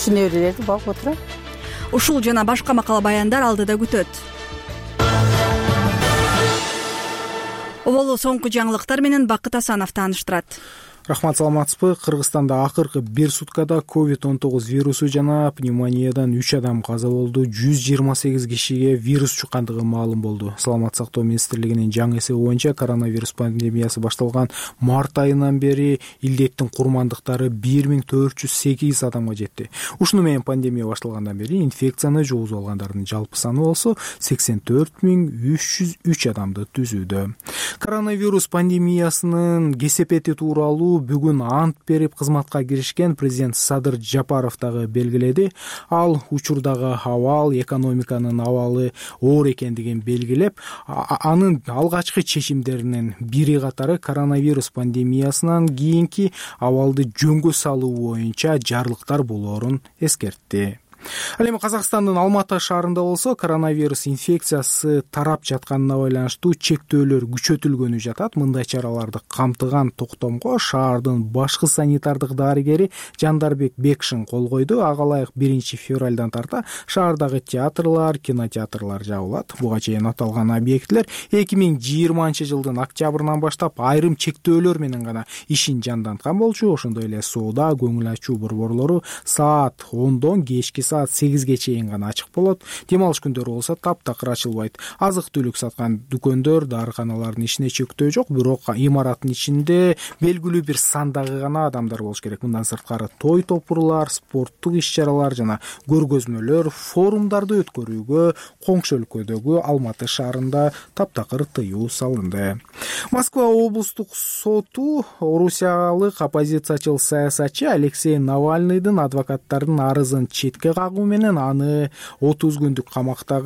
Чынөөлөрдү багып отурат. Ушул жана башка макала баяндар алдыда күтөт. Оболу соңку жаңылыктар менен Бакыт Асанов тааныштырат. Рахмат, саламатсызбы? Кыргызстанда акыркы бир суткада COVID-19 вирусу жана пневмониядан 3 адам каза болду, 128 кишиге вирус чуккандыгы маалым болду. Саламаттык сактоо министрлигинин жаңы эсеби боюнча коронавирус пандемиясы башталган март айынан бери илдеттин курмандыктары 1408 адамга жетти. Ушуну менен пандемия башталгандан бери инфекцияны жугузуп алгандардын жалпы саны болсо 84303 адамды түзүүдө. Коронавирус пандемиясынын кесепети тууралуу бүгүн ант берип кызматка киришкен президент Садыр Жапаров дагы белгиледи. Ал учурдагы абал, экономиканын абалы оор экендигин белгилеп, анын алгачкы чечимдеринин бири катары коронавирус пандемиясынан кийинки абалды жөнгө салуу боюнча жарлыктар болоорун эскертти. Ал эми Казакстандын Алматы шаарында болсо коронавирус инфекциясы тарап жатканына байланыштуу чектөөлөр күчөтүлгөнү жатат. Мындай чараларды камтыган токтомго шаардын башкы санитардык дарыгери Жандарбек Бекшин кол койду. Ага ылайык 1 февралдан тарта шаардагы театрлар, кинотеатрлар жабылат. Буга чейин аталган объектилер 2020 жылдын октябрынан баштап айрым чектөөлөр менен гана ишин жанданткан болчу. Ошондой эле соода, көңүл ачуу борборлору саат 10дон кечки саат 8ге чейин гана ачык болот. Дем алыш күндөрү болсо таптакыр ачылбайт. Азык-түлүк саткан дүкөндөр, дарыканалардын ишине чектөө жок, бирок имараттын ичинде белгилүү бир сандагы гана адамдар болуш керек. Мындан сырткары той топурлар, спорттук иш-чаралар жана көргөзмөлөр, форумдарды өткөрүүгө коңшу өлкөдөгү Алматы шаарында таптакыр тыюу салынды. Москва облустук соту орусиялык оппозициячыл саясатчы Алексей Навальныйдын адвокаттардын арызын четке кагуу менен аны 30 күндүк камакта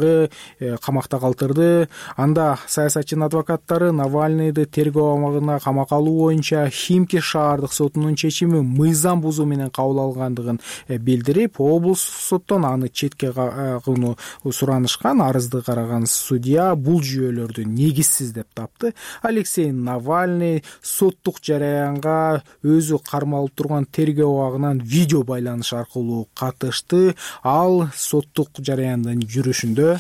калтырды. Анда саясатчынын адвокаттары Навальныйды тергөө абагына камакка алуу боюнча Химки шаардык сотунун чечими мыйзам бузуу менен кабыл алгандыгын билдирип, облустук соттон аны четке кагууну суранышкан. Арызды караган судья бул жүйөлөрдү негизсиз деп тапты. Алексей Навальный соттук жараянга өзү кармалып турган тергөө абагынан видео байланыш аркылуу катышты. Ал соттук жараяндын жүрүшүндө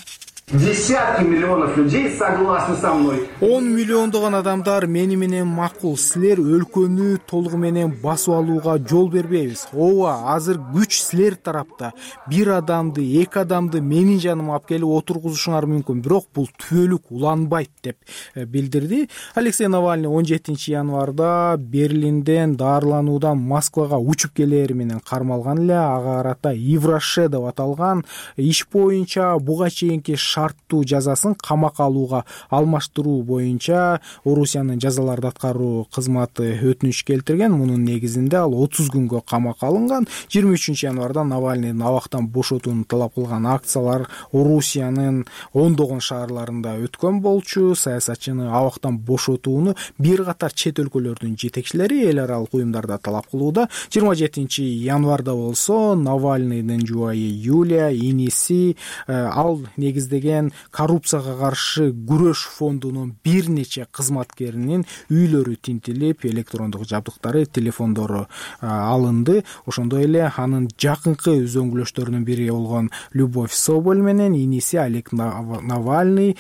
Десятки миллионов людей согласны со мной. 10 миллиондогон адамдар мени менен макул. Силер өлкөнү толугу менен басып алууга жол бербейбиз. Ооба, азыр күч силер тарапта. Бир адамды, эки адамды менин жаныма алып келип отургузушуңар мүмкүн, бирок бул түбөлүк уланбайт деп билдирди. Алексей Навальный 17 январда Берлинден даарылануудан Москвага учуп келери менен кармалган эле. Ага карата Ивроше деп аталган иш боюнча буга чейинки шарттуу жазасын камакка алууга алмаштыруу боюнча Орусиянын жазаларды аткаруу кызматы өтүнүч келтирген. Мунун негизинде ал 30 күнгө камакка алынган. 23 январда Навальныйдын абактан бошотууну талап кылган акциялар Орусиянын ондогон шаарларында өткөн болчу. Саясатчыны абактан бошотууну бир катар чет өлкөлөрдүн жетекчилери эл аралык уюмдарда талап кылууда. 27 январда болсо Навальныйдын жубайы Юлия, иниси ал негиздеген коррупцияга каршы күрөш фондунун бир нече кызматкеринин үйлөрү тинтилип, электрондук жабдыктары, телефондору алынды. Ошондой эле анын жакынкы үзөңгүлөштөрүнүн бири болгон Любовь Соболь менен иниси Олег Навальный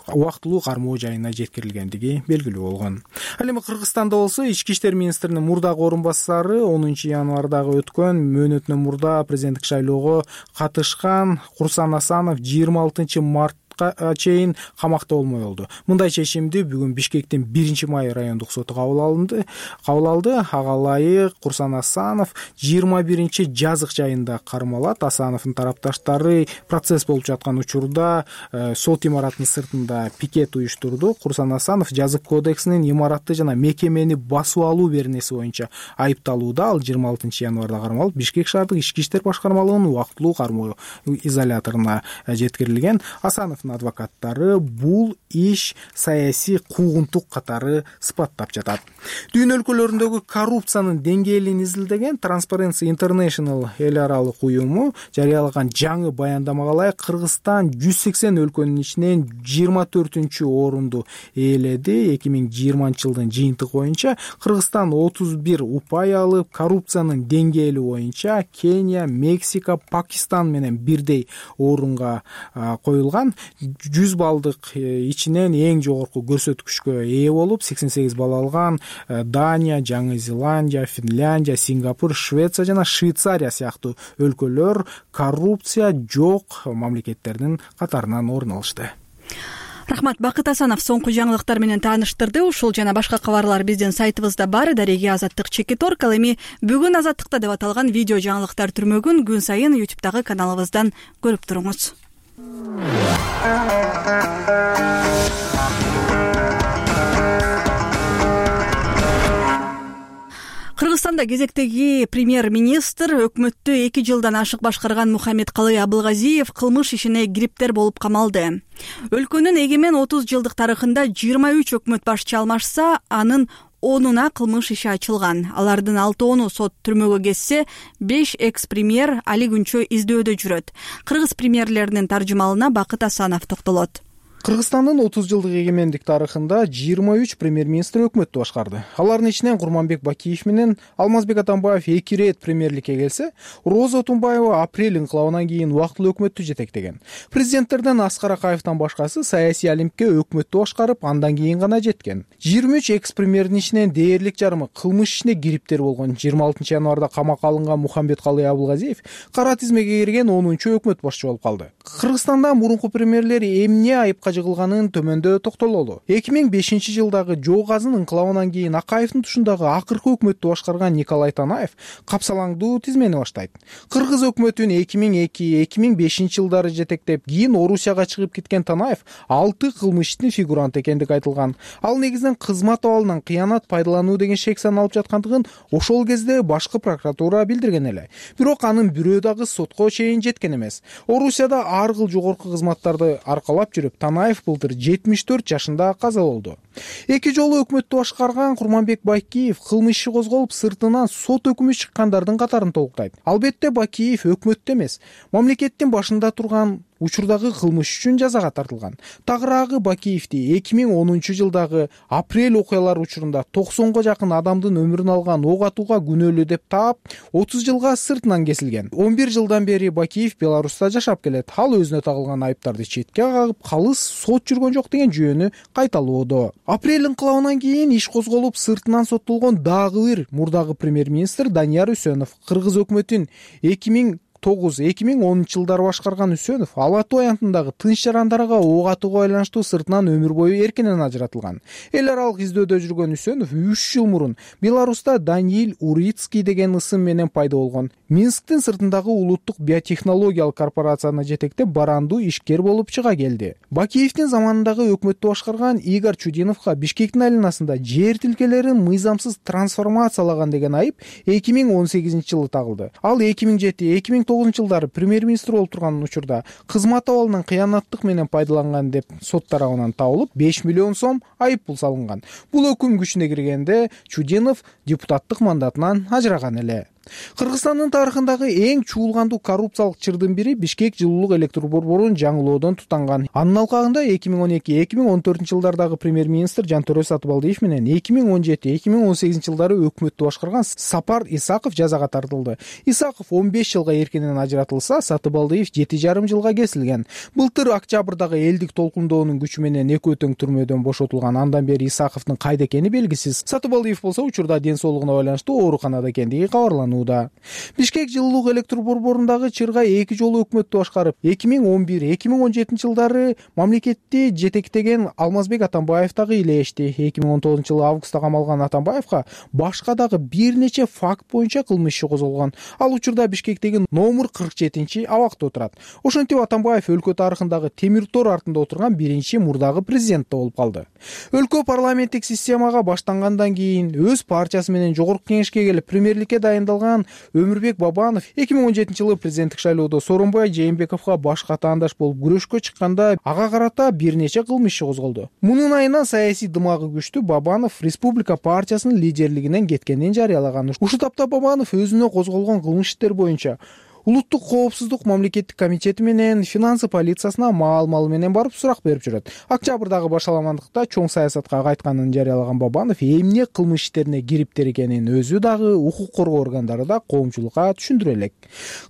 убактылуу кармоо жайына жеткирилгендиги белгилүү болгон. Ал эми Кыргызстанда болсо ички иштер министринин мурдагы орун басары 10 январдагы өткөн мөөнөтүнөн мурда президенттик шайлоого катышкан Курсан Асанов 26 мартка чейин камакта болмой болду. Мындай чечимди бүгүн Бишкектин 1-май райондук соту кабыл алды. Ага ылайык Курсан Асанов 21 жазык жайында кармалат. Асановдун тарапташтары процесс болуп жаткан учурда сот имаратынын сыртында пикет уюштурду. Курсан Асанов жазык кодексинин имаратты жана мекемени басып алуу беренеси боюнча айыпталууда. Ал 26 январда кармалып Бишкек шаардык ички иштер башкармалыгынын убактылуу кармоо изоляторуна жеткирилген. Асанов адвокаттары бул иш саясий куугунтук катары сыпаттап жатат. Дүйнө өлкөлөрүндөгү коррупциянын деңгээлин изилдеген Transparency International эл аралык уюму жарыялаган жаңы баяндамага ылайык Кыргызстан 180 өлкөнүн ичинен 24-орунду ээледи. 2020 жылдын жыйынтыгы боюнча Кыргызстан 31 упай алып, коррупциянын деңгээли боюнча Кения, Мексика, Пакистан менен бирдей орунга коюлган. 100 балдык ичинен эң жогорку көрсөткүчкө ээ болуп 88 балл алган Дания, Жаңы Зеландия, Финляндия, Сингапур, Швеция жана Швейцария сыяктуу өлкөлөр коррупция жок мамлекеттердин катарынан орун алышты. Рахмат, Бакыт Асанов соңку жаңылыктар менен тааныштырды. Ушул жана башка кабарлар биздин сайтыбызда бар. Дареги Азаттык /. Ал эми бүгүн Азаттыкта деп аталган видео жаңылыктар түрмөгүн күн сайын YouTube'дагы каналыбыздан көрүп туруңуз. Кыргызстанда кезектеги премьер-министр өкмөттү 2 жылдан ашык башкарган Мухаммедкалый Абылгазиев кылмыш ишине кириптер болуп камалды. Өлкөнүн эгемен 30 жылдык тарыхында 23 өкмөт башчы алмашса, анын 10-уна кылмыш иши ачылган. Алардын 6-ону сот түрмөгө кетсе, 5 экс-премьер али күнчө издөөдө жүрөт. Кыргыз премьерлеринин таржымалына Бакыт Асанов токтолот. Кыргызстандын 30 жылдык эгемендик тарыхында 23 премьер-министр өкмөттү башкарды. Алардын ичинен Курманбек Бакиев менен Алмазбек Атамбаев 2 рет премьерликке келсе, Роза Отунбаева апрель инкылабынан кийин убактылуу өкмөттү жетектеген. Президенттерден Аскар Акаевдин башкасы саясий олимпке өкмөттү башкарып, андан кийин гана жеткен. 23 экс-премьердин ичинен дээрлик жарымы кылмыш ишине кириптер болгон. 26 январда камакка алынган Мухаммедкалый Абылгазиев кара тизмеге кирген 10-чу өкмөт башчы болуп калды. Кыргызстанда мурунку премьерлери эмне айыпка жыгылганын төмөндө токтололу. 2005 жылдагы Жоо Казын инкылабынан кийин Акаевдин тушундагы акыркы өкмөттү башкарган Николай Танаев капсалаңдуу тизмени баштайт. Кыргыз өкмөтүн 2002-2005 жылдары жетектеп, кийин Орусияга чыгып кеткен Танаев 6 кылмыштын фигуранты экендиги айтылган. Ал негизинен кызмат абалынан кыянат пайдалануу деген шек саналып жаткандыгын ошол кезде башкы прокуратура билдирген эле. Бирок анын бирөө дагы сотко чейин жеткен эмес. Орусияда ар кыл жогорку кызматтарды аркалап жүрүп, Танаев былтыр 74 жашында каза болду. 2 жолу өкмөттү башкарган Курманбек Бакиев кылмыш иши козголуп, сыртынан сот өкүмү чыккандардын катарын толуктайт. Албетте Бакиев өкмөттө эмес, мамлекеттин башында турган учурдагы кылмыш үчүн жазага тартылган. Тагыраагы Бакиевди 2010 жылдагы апрель окуялары учурунда 90га жакын адамдын өмүрүн алган ок атууга күнөөлүү деп таап, 30 жылга сыртынан кесилген. 11 жылдан бери Бакиев Беларуста жашап келет. Ал өзүнө тагылган айыптарды четке кагып, калыс сот жүргөн жок деген жүйөнү кайталоодо. Апрель инкылабынан кийин иш козголуп, сыртынан соттолгон дагы бир мурдагы премьер-министр Данияр Үсөнов Кыргыз өкмөтүн 2009-2010 башкарган Үсөнов Ала Тоо аянтындагы тынч жарандарга ок атууга байланыштуу сыртынан өмүр бою эркинен ажыратылган. Эл аралык издөөдө жүргөн Үсөнов 3 жыл мурун Беларуста Даниил Урицкий деген ысым менен пайда болгон. Минсктин сыртындагы улуттук биотехнологиялык корпорацияны жетектеп барандуу ишкер болуп чыга келди. Бакиевдин заманындагы өкмөттү башкарган Игорь Чудиновго Бишкектин айланасында жер тилкелерин мыйзамсыз трансформациялаган деген айып 2018-жылы тагылды. Ал 2007-2009 жылдары премьер-министр болуп турган учурда кызмат абалынан кыянаттык менен пайдаланган деп сот тарабынан табылып 5 миллион сом айып пул салынган. Бул өкүм күчүнө киргенде Чудинов депутаттык мандатынан ажыраган эле. Кыргызстандын тарыхындагы эң чуулгандуу коррупциялык чырдын бири Бишкек жылуулук электр борборун жаңылоодон тутанган. Анын алкагында 2012-2014 жылдардагы премьер-министр Жантөрө Сатыбалдиев менен 2017-2018 жылдары өкмөттү башкарган Сапар Исаков жазага тартылды. Исаков 15 жылга эркинен ажыратылса, Сатыбалдиев 7,5 жылга кесилген. Былтыр октябрдагы элдик толкундоонун күчү менен экөө тең түрмөдөн бошотулган. Андан бери Исаковдун кайда экени белгисиз. Сатыбалдиев болсо учурда ден соолугуна байланыштуу ооруканада экендиги кабарланды. Бишкек жылуулук электр борборундагы чырга 2 жолу өкмөттү башкарып, 2011-2017 жылдары мамлекетти жетектеген Алмазбек Атамбаев дагы илешти. 2019 жылы августта камалган Атамбаевга башка дагы бир нече факт боюнча кылмыш иши козголгон. Ал учурда Бишкектеги номер 47-абакта отурат. Ошентип Атамбаев өлкө тарыхындагы темир тор артында отурган биринчи мурдагы президент болуп калды. Өлкө парламенттик системага баштангандан кийин өз партиясы менен жогорку кеңешке келип премьерликке дайындалган Өмүрбек Бабанов 2017 жылы президенттик шайлоодо Сооронбай Жээнбековго баш катаандаш болуп күрөшкө чыкканда ага карата бир нече кылмыш иши козголду. Мунун айынан саясий дымагы күчтүү Бабанов Республика партиясынын лидерлигинен кеткенин жарыялаган. Ушул тапта Бабанов өзүнө козголгон кылмыш иштер боюнча Улуттук коопсуздук мамлекеттик комитети менен финансы полициясына маал-мал менен барып сурак берип жүрөт. Октябрдагы башаламандыкта чоң саясатка кайтканын жарыялаган Бабанов эмне кылмыш иштерине кириптир экенин өзү дагы укук коргоо органдары да коомчулукка түшүндүрө элек.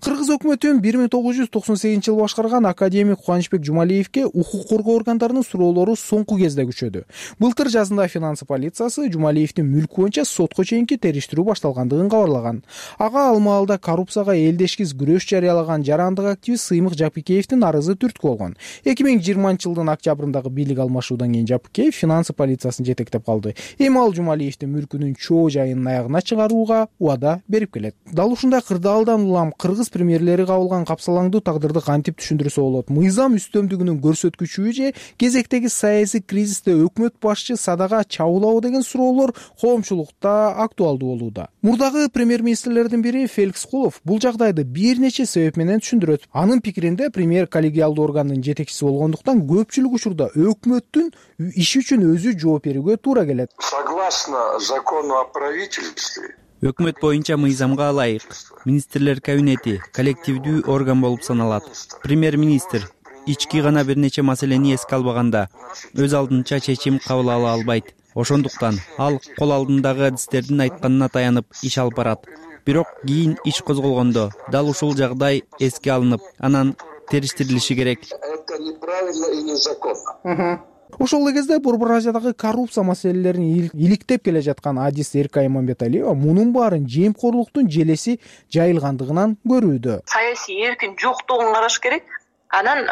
Кыргыз өкмөтүн 1998 жылы башкарган академик Кубанычбек Жумалиевге укук коргоо органдарынын суроолору соңку кезде күчөдү. Былтыр жазында финансы полициясы Жумалиевдин мүлкү боюнча сотко чейинки териштирүү башталгандыгын кабарлаган. Ага ал маалда коррупцияга элдешкиз күрөш жарыялаган жарандык активист Сыймык Жапыкеевдин арызы түрткү болгон. 2020 жылдын октябрындагы бийлик алмашуудан кийин Жапыкеев финансы полициясын жетектеп калды. Эми ал Жумалиевдин мүлкүнүн чоо жайынын аягына чыгарууга убада берип келет. Дал ушундай кырдаалдан улам кыргыз премьерлери кабылган капсалаңдуу тагдырды кантип түшүндүрсө болот? Мыйзам үстөмдүгүнүн көрсөткүчүбү же кезектеги саясий кризисте өкмөт башчы садага чабуулабы деген суроолор коомчулукта актуалдуу болууда. Мурдагы премьер-министрлердин бири Феликс Кулов бул жагдайды бир нече себеп менен түшүндүрөт. Анын пикиринде премьер коллегиалдуу органдын жетекчиси болгондуктан көпчүлүк учурда өкмөттүн иши үчүн өзү жооп берүүгө туура келет. Согласно закону о правительстве, өкмөт боюнча мыйзамга ылайык министрлер кабинети коллективдүү орган болуп саналат. Премьер-министр ички гана бир нече маселени эске албаганда өз алдынча чечим кабыл ала албайт. Ошондуктан ал кол алдындагы адистердин айтканына таянып иш алып барат. Бирок кийин иш козголгондо дал ушул жагдай эске алынып, анан териштирилиши керек. Это неправильно и незаконно. Ошол эле кезде Борбор Азиядагы коррупция маселелерин иликтеп келе жаткан адис Эркай Иманбеталиева мунун баарын жемкорлуктун желеси жайылгандыгынан көрүүдө. Саясий эркин жоктугун караш керек. Анан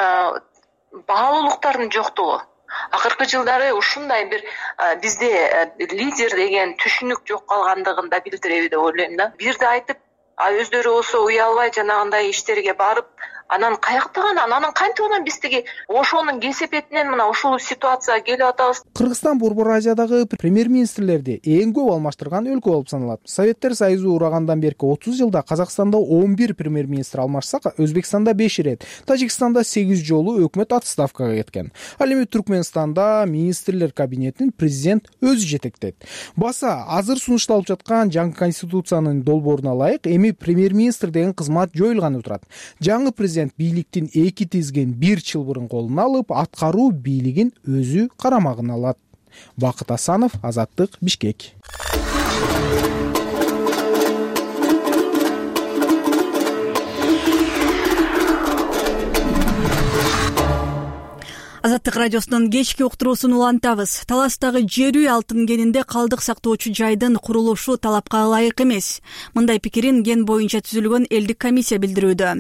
баалуулуктардын жоктугу. Акыркы жылдары ушундай бир бизде лидер деген түшүнүк жок калгандыгын да билдиреби деп ойлойм да. Бирди айтып, өздөрү болсо уялбай жанагындай иштерге барып, анан каяктаган, анан кантип анан биз тиги ошонун кесепетинен мына ушул ситуацияга келип атабыз. Кыргызстан Борбор Азиядагы премьер-министрлерди эң көп алмаштырган өлкө болуп саналат. Советтер Союзу урагандан берки 30 жылда Казакстанда 11 премьер-министр алмашса, Өзбекстанда 5 ирет, Тажикстанда 8 жолу өкмөт отставкага кеткен. Ал эми Түркмөнстанда министрлер кабинетин президент өзү жетектейт. Баса азыр сунушталып жаткан жаңы конституциянын долбооруна ылайык эми премьер-министр деген кызмат жоюлганы турат. Жаңы президент бийликтин эки тизген бир чылбырын колуна алып, аткаруу бийлигин өзү карамагына алат. Бакыт Асанов, Азаттык, Бишкек. Азаттык радиосунун кечки уктуруусун улантабыз. Таластагы жер үй алтын кенинде калдык сактоочу жайдын курулушу талапка ылайык эмес. Мындай пикирин кен боюнча түзүлгөн элдик комиссия билдирүүдө.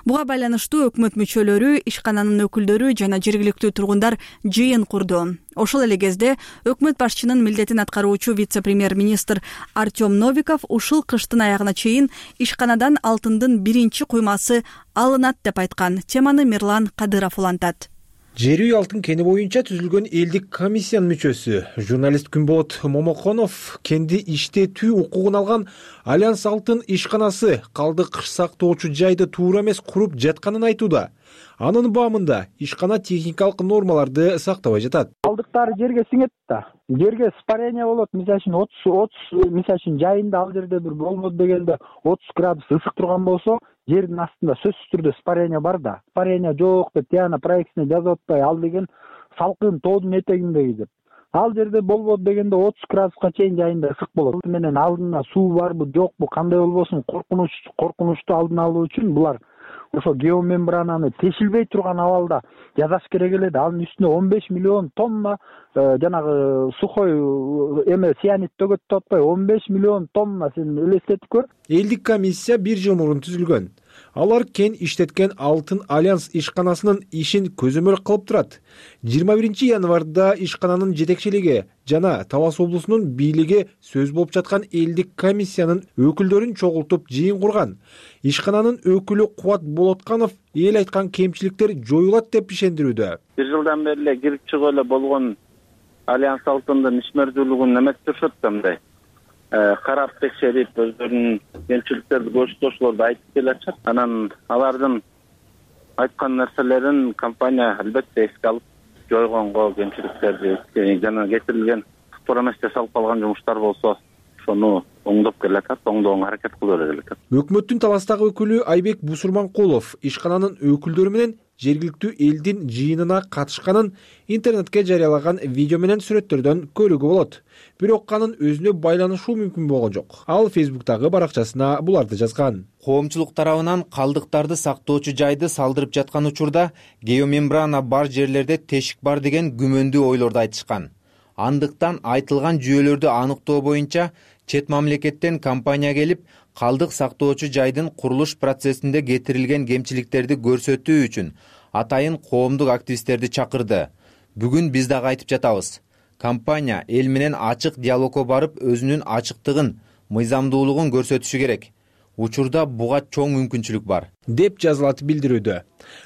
Буга байланыштуу өкмөт мүчөлөрү, ишкананын өкүлдөрү жана жергиликтүү тургундар жыйын курду. Ошол эле кезде өкмөт башчынын милдетин аткаруучу вице-премьер-министр Артем Новиков ушул кыштын аягына чейин ишканадан алтындын биринчи куймасы алынат деп айткан. Теманы Мирлан Кадыров улантат. Жер үй алтын кени боюнча түзүлгөн элдик комиссиянын мүчөсү, журналист Күнболот Момоконов кенди иштетүү укугун алган Альянс алтын ишканасы калдык сактоочу жайды туура эмес куруп жатканын айтууда. Анын баамында ишкана техникалык нормаларды сактабай жатат. Калдыктары жерге сиңет да. Жерге испарение болот. Мисалы үчүн жайында ал жерде бир болбоду дегенде 30 градус ысык турган болсо, жердин астында сөзсүз түрдө испарение бар да. Испарение жок деп тияна проектисине жазып атпай, ал деген салкын тоодун этегиндеги деп. Ал жерде болбоду дегенде 30 градуска чейин жайында ысык болот. Менен алдында суу барбы, жокпу, кандай болбосун коркунучту алдын алуу үчүн булар ошо геомембрананы тешилбей турган абалда жасаш керек эле. Анын үстүнө 15 миллион тонна жанагы сухой цианид төгөт деп атпай, 15 миллион тонна, сен элестетип көр. Элдик комиссия 1 жыл мурун түзүлгөн. Алар кен иштеткен алтын Альянс ишканасынын ишин көзөмөл кылып турат. 21 январда ишкананын жетекчилиги жана Талас облусунун бийлиги сөз болуп жаткан элдик комиссиянын өкүлдөрүн чогултуп жыйын курган. Ишкананын өкүлү Кубат Болотканов эл айткан кемчиликтер жоюлат деп ишендирүүдө. 1 жылдан бери эле кирип чыгып эле болгон Альянс алтындын ишмердүүлүгүн эметtirишет да мындай. Карап текшерип, өздөрүнүн кемчиликтерди көрсөтүүлөрдү айтып келатышат. Анан алардын айткан нерселерин компания албетте эске алып, жойгонго кемчиликтерди жана кетирилген туура эмес жасалып калган жумуштар болсо, ошону оңдоп келатат, оңдоого аракет кылып келатат. Өкмөттүн Таластагы өкүлү Айбек Бусурманкулов ишкананын өкүлдөрү менен жергиликтүү элдин жыйынына катышканын интернетке жарыялаган видео менен сүрөттөрдөн көрүүгө болот. Бирок анын өзүнө байланышуу мүмкүн болгон жок. Ал Facebook'тагы баракчасына буларды жазган. Коомчулук тарабынан калдыктарды сактоочу жайды салдырып жаткан учурда геомембрана бар жерлерде тешик бар деген күмөндүү ойлорду айтышкан. Андыктан айтылган жүйөлөрдү аныктоо боюнча чет мамлекеттен компания келип, калдык сактоочу жайдын курулуш процессинде кетирилген кемчиликтерди көрсөтүү үчүн атайын коомдук активисттерди чакырды. Бүгүн биз дагы айтып жатабыз. Компания эл менен ачык диалогко барып, өзүнүн ачыктыгын, мыйзамдуулугун көрсөтүшү керек. Учурда буга чоң мүмкүнчүлүк бар, деп жазылат билдирүүдө.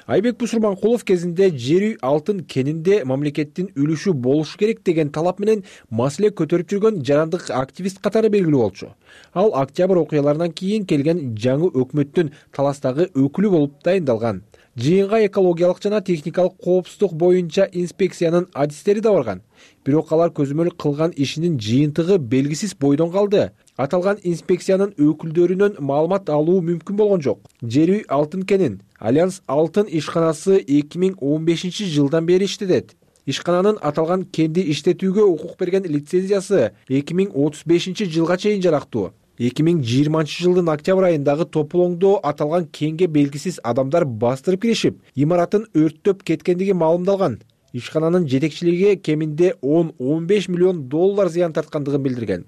Айбек Бусурманкулов кезинде жер үй алтын кенинде мамлекеттин үлүшү болушу керек деген талап менен маселе көтөрүп жүргөн жарандык активист катары белгилүү болчу. Ал октябрь окуяларынан кийин келген жаңы өкмөттүн Таластагы өкүлү болуп дайындалган. Жыйынга экологиялык жана техникалык коопсуздук боюнча инспекциянын адистери да барган. Бирок алар көзөмөл кылган ишинин жыйынтыгы белгисиз бойдон калды. Аталган инспекциянын өкүлдөрүнөн маалымат алуу мүмкүн болгон жок. Жер үй алтын кенин Альянс алтын ишканасы 2015 жылдан бери иштетет. Ишкананын аталган кенди иштетүүгө укук берген лицензиясы 2035 жылга чейин жарактуу. 2020 жылдын октябрь айындагы тополоңдо аталган кенге белгисиз адамдар бастырып киришип, имаратын өрттөп кеткендиги маалымдалган. Ишкананын жетекчилиги кеминде 10-15 миллион доллар зыян тарткандыгын билдирген.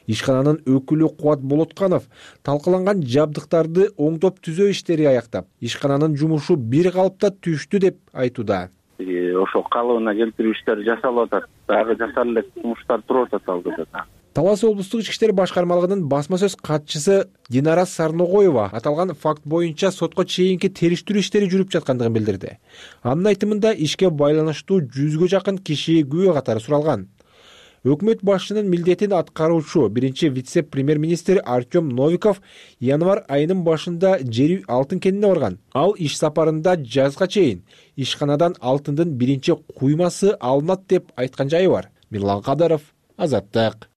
Ишкананын өкүлү Кубат Болотканов талкаланган жабдыктарды оңдоп түзөө иштери аяктап, ишкананын жумушу бир калыпта түштү деп айтууда. Ошо калыбына келтирүү иштери жасалып атат. Дагы жасар элек жумуштар туруп атат алдыда. Талас облустук ички иштер башкармалыгынын басма сөз катчысы Динара Сарногоева аталган факт боюнча сотко чейинки териштирүү иштери жүрүп жаткандыгын билдирди. Анын айтымында ишке байланыштуу 100гө жакын киши күбө катары суралган. Өкмөт башчынын милдетин аткаруучу биринчи вице-премьер-министр Артем Новиков январь айынын башында жер үй алтын кенине барган. Ал иш сапарында жазга чейин ишканадан алтындын биринчи куймасы алынат деп айткан жайы бар. Мирлан Кадыров, Азаттык.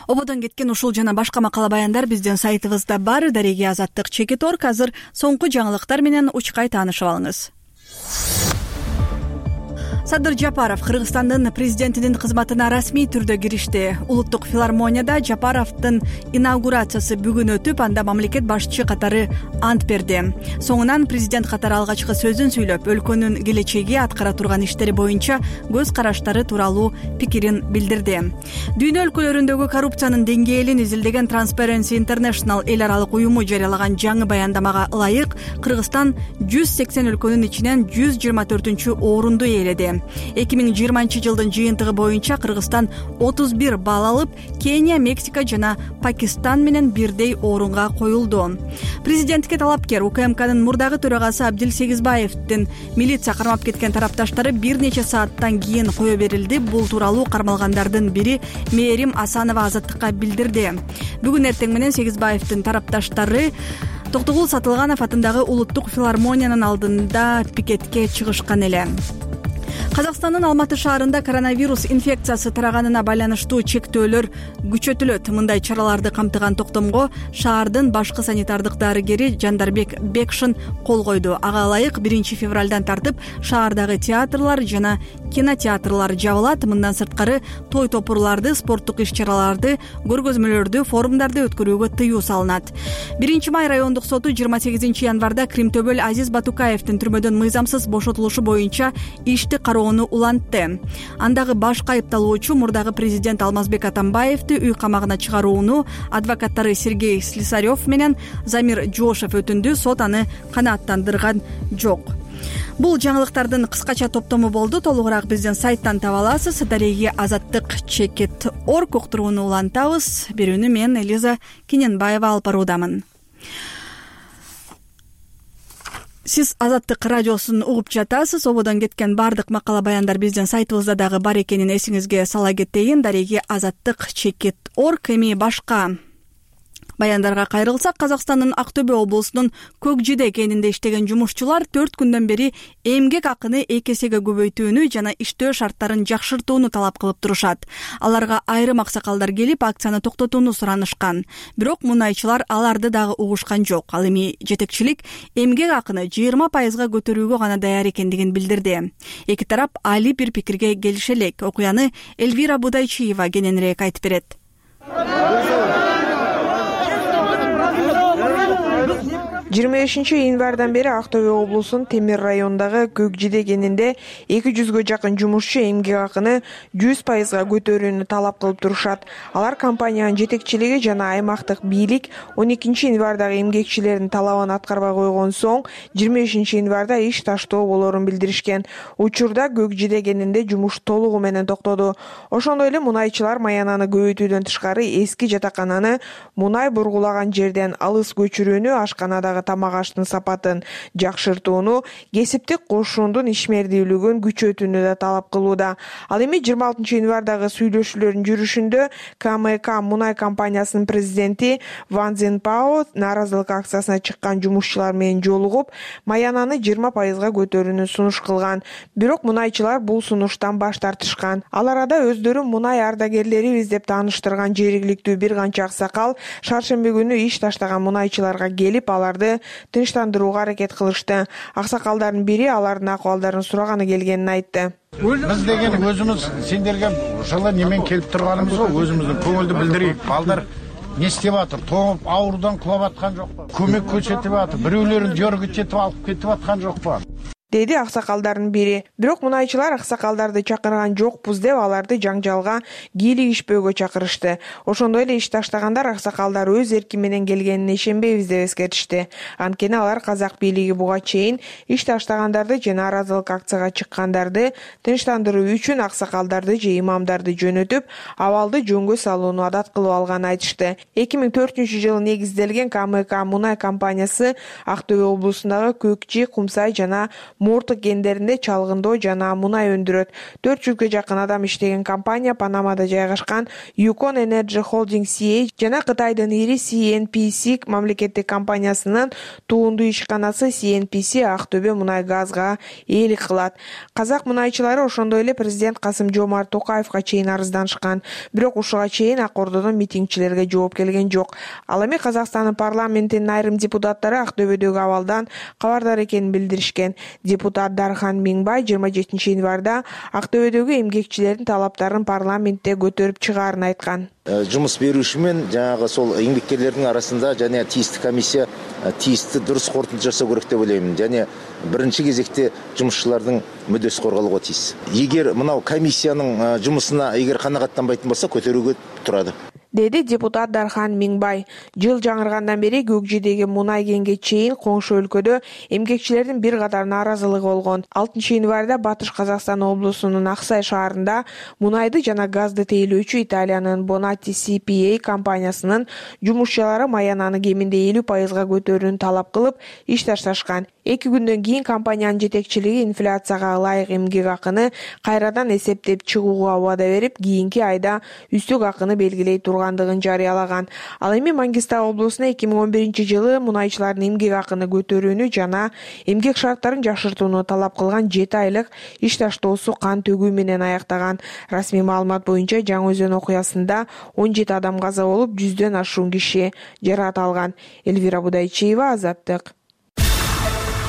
Ободон кеткен ушул жана башка макала баяндар биздин сайтыбызда бар. Дареги Азаттык Чекиторг. Азыр соңку жаңылыктар менен учкай таанышып алыңыз. Садыр Жапаров Кыргызстандын президентинин кызматына расмий түрдө киришти. Улуттук филармонияда Жапаровдун инаугурациясы бүгүн өтүп, анда мамлекет башчы катары ант берди. Соңунан президент катары алгачкы сөзүн сүйлөп, өлкөнүн келечеги, аткара турган иштери боюнча көз караштары тууралуу пикирин билдирди. Дүйнө өлкөлөрүндөгү коррупциянын деңгээлин изилдеген Transparency International эл аралык уюму жарыялаган жаңы баяндамага ылайык Кыргызстан 180 өлкөнүн ичинен 124-орунду ээледи. 2020 жылдын жыйынтыгы боюнча Кыргызстан 31 балл алып, Кения, Мексика жана Пакистан менен бирдей орунга коюлду. Президентке талапкер УКМКнын мурдагы төрагасы Абдил Сегизбаевдин милиция кармап кеткен тарапташтары бир нече сааттан кийин кое берилди. Бул тууралуу кармалгандардын бири Мээрим Асанова Азаттыкка билдирди. Бүгүн эртең менен Сегизбаевдин тарапташтары Токтогул Сатылганов атындагы Улуттук филармониянын алдында пикетке чыгышкан эле. Казакстандын Алматы шаарында коронавирус инфекциясы тараганына байланыштуу чектөөлөр күчөтүлөт. Мындай чараларды камтыган токтомго шаардын башкы санитардык дарыгери Жандарбек Бекшин кол койду. Ага ылайык 1 февралдан тартып шаардагы театрлар жана кинотеатрлар жабылат. Мындан сырткары той топурларды, спорттук иш-чараларды, көргөзмөлөрдү, форумдарды өткөрүүгө тыюу салынат. 1 май райондук соту 28 январда Кримтөбөл Азиз Батукаевдин түрмөдөн мыйзамсыз бошотулушу боюнча ишти кароону улантты. Андагы башкы айыпталуучу мурдагы президент Алмазбек Атамбаевди үй камагына чыгарууну адвокаттары Сергей Слесарев менен Замир Жошев өтүндү. Сот аны канааттандырган жок. Бул жаңылыктардын кыскача топтому болду. Толугураак биздин сайттан таба аласыз. Дареги Азаттык Чекит.org уктурууну улантабыз. Берүүнү мен Элиза Кененбаева алып баруудамын. Сиз Азаттык радиосун угуп жатасыз. Ободон кеткен бардык макала баяндар биздин сайтыбызда дагы бар экенин эсиңизге сала кетейин. Дареги Азаттык Чекит.org. Эми башка баяндарга кайрылсак, Казакстандын Актөбө облусунун Көкжиде кенинде иштеген жумушчулар 4 күндөн бери эмгек акыны 2 эсеге көбөйтүүнү жана иштөө шарттарын жакшыртууну талап кылып турушат. Аларга айрым аксакалдар келип, акцияны токтотууну суранышкан. Бирок мунайчылар аларды дагы угушкан жок. Ал эми жетекчилик эмгек акыны 20% көтөрүүгө гана даяр экендигин билдирди. Эки тарап али бир пикирге келише элек. Окуяны Эльвира Будайчиева кененирээк айтып берет. 25 январдан бери Актөбө облусунун Темир районундагы Көкжиде кенинде 200гө жакын жумушчу эмгек акыны 100% көтөрүүнү талап кылып турушат. Алар компаниянын жетекчилиги жана аймактык бийлик 12 январдагы эмгекчилердин талабын аткарбай койгон соң 25 январда иш таштоо болоорун билдиришкен. Учурда Көкжиде кенинде жумуш толугу менен токтоду. Ошондой эле мунайчылар маянаны көбөйтүүдөн тышкары эски жатакананы мунай бургулаган жерден алыс көчүрүүнү, ашканадагы тамак аштын сапатын жакшыртууну, кесиптик кошуундун ишмердүүлүгүн күчөтүүнү да талап кылууда. Ал эми 26 январдагы сүйлөшүүлөрдүн жүрүшүндө КМК мунай компаниясынын президенти Ван Цзиньпао нааразылык акциясына чыккан жумушчулар менен жолугуп, маянаны 20% көтөрүүнү сунуш кылган. Бирок мунайчылар бул сунуштан баш тартышкан. Ал арада өздөрү мунай ардагерлерибиз деп тааныштырган жергиликтүү бир канча аксакал шаршемби күнү иш таштаган мунайчыларга келип, аларды тынчтандырууга аракет кылышты. Аксакалдардын бири алардын акыбалдарын сураганы келгенин айтты. Биз деген өзүбүз сендерге жылы немен келип турганыбызга өзүбүздүн көңүлдү билдирейик. Балдар не иштеп атыр? Тоңуп, аурудан кулап аткан жокпу? Көмөк көрсөтүп атыр. Бирөөлөрүн жөргө жетип алып кетип аткан жокпу? Деди аксакалдардын бири. Бирок мунайчылар аксакалдарды чакырган жокпуз деп аларды жаңжалга кийлигишпөөгө чакырышты. Ошондой эле иш таштагандар аксакалдар өз эрки менен келгенине ишенбейбиз деп эскертишти. Анткени алар казак бийлиги буга чейин иш таштагандарды жана нааразылык акцияга чыккандарды тынчтандыруу үчүн аксакалдарды же имамдарды жөнөтүп, абалды жөнгө салууну адат кылып алганын айтышты. 2004-жылы негизделген КМК мунай компаниясы Актөбө облусундагы Көкчи, Кумсай жана Морты кендеринде чалгындоо жана мунай өндүрөт. 400гө жакын адам иштеген компания Панамада жайгашкан Yukon Energy Holding CA жана Кытайдын ири CNPC мамлекеттик компаниясынын туунду ишканасы CNPC Актөбө мунай газга ээлик кылат. Казак мунайчылары ошондой эле президент Касым-Жомарт Токаевга чейин арызданышкан. Бирок ушуга чейин ак ордодон митингчилерге жооп келген жок. Ал эми Казакстандын парламентинин айрым депутаттары Актөбөдөгү абалдан кабардар экенин билдиришкен. Депутат Дархан Миңбай 27 январда Актөбөдөгү эмгекчилердин талаптарын парламентте көтөрүп чыгаарын айткан. Жумуш берүүчү менен жанагы сол эмгеккерлердин арасында жана тиистүү комиссия тиистүү дурус корутунду жасоо керек деп ойлойм. Жана биринчи кезекте жумушчулардын мүддөсү корголууга тийиз. Эгер мынау комиссиянын жумусуна эгер канагаттанбайтын болсо көтөрүүгө турат, деди депутат Дархан Миңбай. Жыл жаңыргандан бери Көкжидеги мунай кенге чейин коңшу өлкөдө эмгекчилердин бир катар нааразылыгы болгон. 6 январда Батыш Казакстан облусунун Аксай шаарында мунайды жана газды тейлөөчү Италиянын Bonatti CPA компаниясынын жумушчулары маянаны кеминде 50% көтөрүүнү талап кылып, иш ташташкан. 2 күндөн кийин компаниянын жетекчилиги инфляцияга ылайык эмгек акыны кайрадан эсептеп чыгууга убада берип, кийинки айда үстүк акыны белгилей тургандыгын жарыялаган. Ал эми Мангистау облусуна 2011-жылы мунайчылардын эмгек акыны көтөрүүнү жана эмгек шарттарын жакшыртууну талап кылган 7 айлык иш таштоосу кан төгүү менен аяктаган. Расмий маалымат боюнча Жаңы Өзөн окуясында 17 адам каза болуп, 100дөн ашуун киши жаракат алган. Элвира Будайчиева, Азаттык.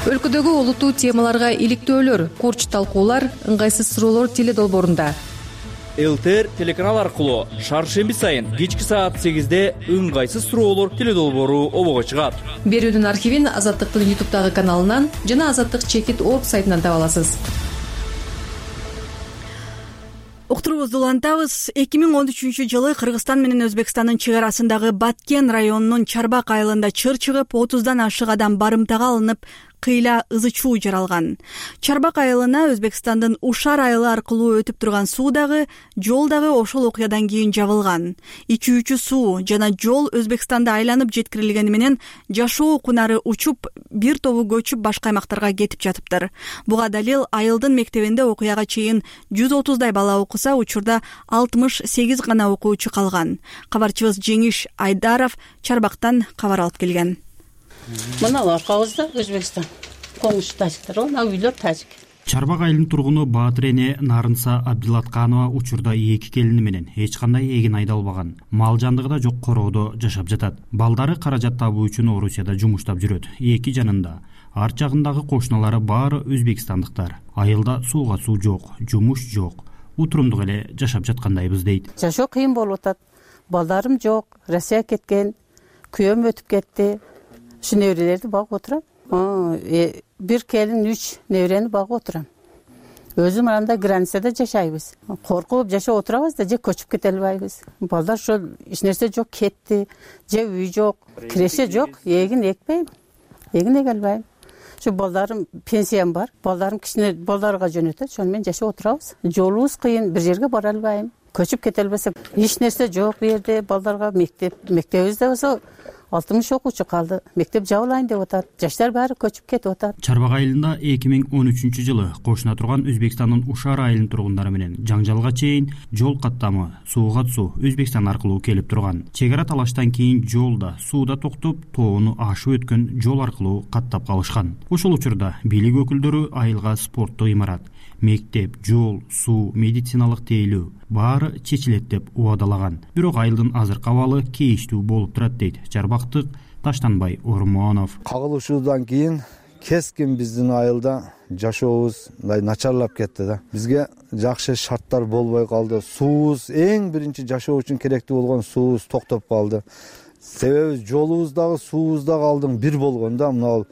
Өлкөдөгү олуттуу темаларга иликтөөлөр, курч талкуулар, ыңгайсыз суроолор теледолбоорунда. ЛТР телеканал аркылуу шаршемби сайын кечки саат 8-де ыңгайсыз суроолор теледолбоору обого чыгат. Берүүнүн архивин Азаттыктын YouTube'дагы каналынан жана azаттык.org сайтынан таба аласыз. Уктурубузду улантабыз. 2013-жылы Кыргызстан менен Өзбекстандын чек арасындагы Баткен районунун Чарбак айылында чыр чыгып, 30дан ашык адам барымтага алынып, кыйла ызы чуу жаралган. Чарбак айылына Өзбекстандын Ушар айылы аркылуу өтүп турган суу дагы, жол дагы ошол окуядан кийин жабылган. Ичүүчү суу жана жол Өзбекстанда айланып жеткирилгени менен жашоо кунары учуп, бир тобу көчүп башка аймактарга кетип жатыптыр. Буга далил айылдын мектебинде окуяга чейин 130дай бала окуса, учурда 68 гана окуучу калган. Кабарчыбыз Жеңиш Айдаров Чарбактан кабар алып келген. Мына аркабызда Өзбекстан. Коңуш тажиктер, мына үйлөр тажик. Чарбак айылынын тургуну Баатырене Нарынса Абдилатканова учурда 2 келини менен эч кандай эгин айдалбаган, мал жандыгы да жок короодо жашап жатат. Балдары каражат табуу үчүн Орусияда жумуштап жүрөт. Эки жанында арт жагындагы кошуналары баары өзбекстандыктар. Айылда сууга суу жок, жумуш жок. Утурумдук эле жашап жаткандайбыз дейт. Жашоо кыйын болуп атат. Балдарым жок, Россия кеткен, күйөөм өтүп кетти. Şu nevrelerdi bagıp oturam. Bir kelin 3 nevreni bagıp oturam. Özüm aranda granisada жашайбыз. Korkup жашап oturabız da je köçüp ketelbayбыз. Balдар şol iş nerse жок ketти, je uy жок, kireşe жок, egin ekpeyim. Egin egelbayım. Şu baldarım pensiyam бар. Baldarım kişine baldarga jönötөт. Şonu men жашап oturabız. Жолубуз кыйын, bir жерге бара албайм. Köçüp ketelbesek, iş nerse жок bu yerde baldarga mektebibizde bolsa 60 окуучу калды. Мектеп жабылайын деп атат. Жаштар баары көчүп кетип атат. Чарбак айылында 2013-жылы кошуна турган Өзбекстандын Ушар айылынын тургундары менен жаңжалга чейин жол каттамы, сууга суу Өзбекстан аркылуу келип турган. Чек ара талаштан кийин жолда, сууда токтоп, тоону ашып өткөн жол аркылуу каттап калышкан. Ошол учурда бийлик өкүлдөрү айылга спорттук имарат, мектеп, жол, суу, медициналык тейлөө баары чечилет деп убадалаган. Бирок айылдын азыркы абалы кейиштүү болуп турат дейт Чарбактык Таштанбай Ормонов. Кагылышуудан кийин кескин биздин айылда жашообуз мындай начарлап кетти да. Бизге жакшы шарттар болбой калды. Суубуз эң биринчи жашоо үчүн керектүү болгон суубуз токтоп калды. Себеби жолубуз дагы суубуз дагы алдың бир болгон да, мына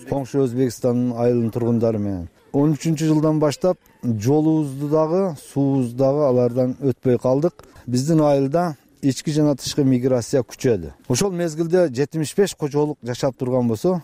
коңшу Өзбекстандын айылынын тургундары менен. 13-жылдан баштап жолубузду дагы, суубузду дагы алардан өтпөй калдык. Биздин айылда ички жана тышкы миграция күчөдү. Ошол мезгилде 75 кожолук жашап турган болсо,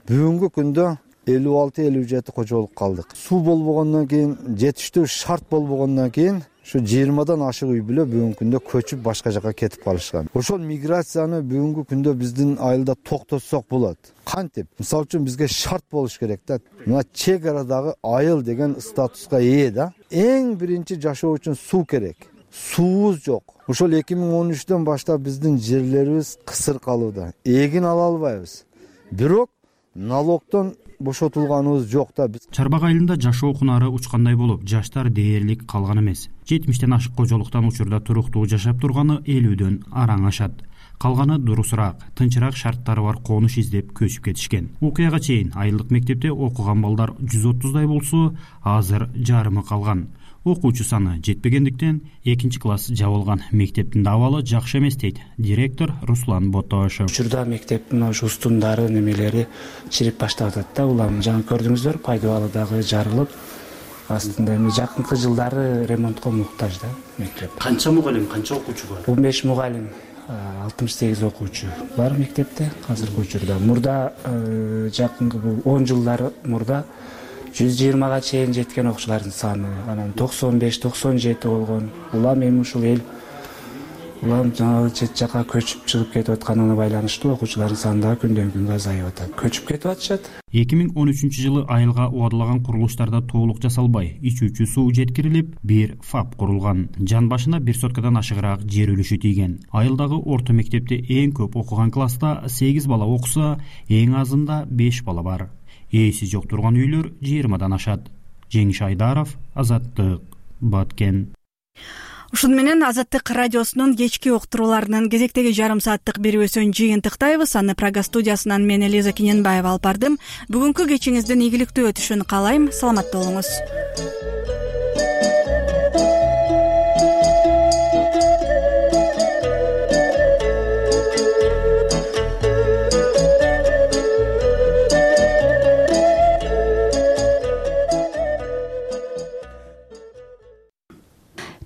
бүгүнкү күндө 56-57 кожолук калдык. Суу болбогондон кийин, жетиштүү шарт болбогондон кийин şu 20'dan ашык үй бүлө бүгүнкү күндө көчүп башка жака кетип калышкан. Ошол миграцияны бүгүнкү күндө биздин айылда токтотсок болот. Кантип? Мисалы үчүн бизге шарт болуш керек да. Мына чек арадагы айыл деген статуска ээ да. Эң биринчи жашоо үчүн суу керек. Суубуз жок. Ошол 2013-дөн баштап биздин жерлерибиз кысыр калууда. Эгин ала албайбыз. Бирок налогдон бошотулганыбыз жок да. Чарбак айылында жашоо кунары учкандай болуп, жаштар дээрлик калган эмес. 70тен ашык кожолуктан учурда туруктуу жашап турганы 50дөн араң ашат. калганы дурусураак, тынчыраак шарттары бар конуш издеп көчүп кетишкен. Окуяга чейин айылдык мектепте окуган балдар 130дай болсо, азыр жарымы калган. Окуучу саны жетпегендиктен 2-класс жабылган. Мектептин абалы жакшы эмес дейт директор Руслан Ботошев. Учурда мектептин ошо устундары немелери чирип баштап атат да. Улам жаңы көрдүңүздөр, пайдубалы дагы жарылып, астында эми жакынкы жылдары ремонтко муктаж да мектеп. Канча мугалим, канча окуучу бар? 15 мугалим, 68 окуучу бар мектепте азыркы учурда. Мурда жакынкы бул 10 жылдар мурда 120га чейин жеткен окуучулардын саны, анан 95-97 болгон. Улам эми ушул эл улам жаңы чет жака көчүп чыгып кетип атканына байланыштуу окуучулардын саны да күндөн күнгө азайып атат. Көчүп кетип атышат. 2013-жылы айылга убадылаган курулуштарда толук жасалбай, ичүүчү суу жеткирилип, бир ФАП курулган. Жан башына 1 соткадан ашыгыраак жер үлүшү тийген. Айылдагы орто мектепте эң көп окуган класста 8 бала окуса, эң азында 5 бала бар. Ээси жок турган үйлөр 20дан ашат. Жеңиш Айдаров, Азаттык, Баткен. Ушуну менен Азаттык радиосунун кечки уктурууларынын кезектеги жарым сааттык берүүсүн жыйынтыктайбыз. Аны Прага студиясынан мен Элиза Кененбаева алып бардым. Бүгүнкү кечиңиздин ийгиликтүү өтүшүн каалайм. Саламатта болуңуз.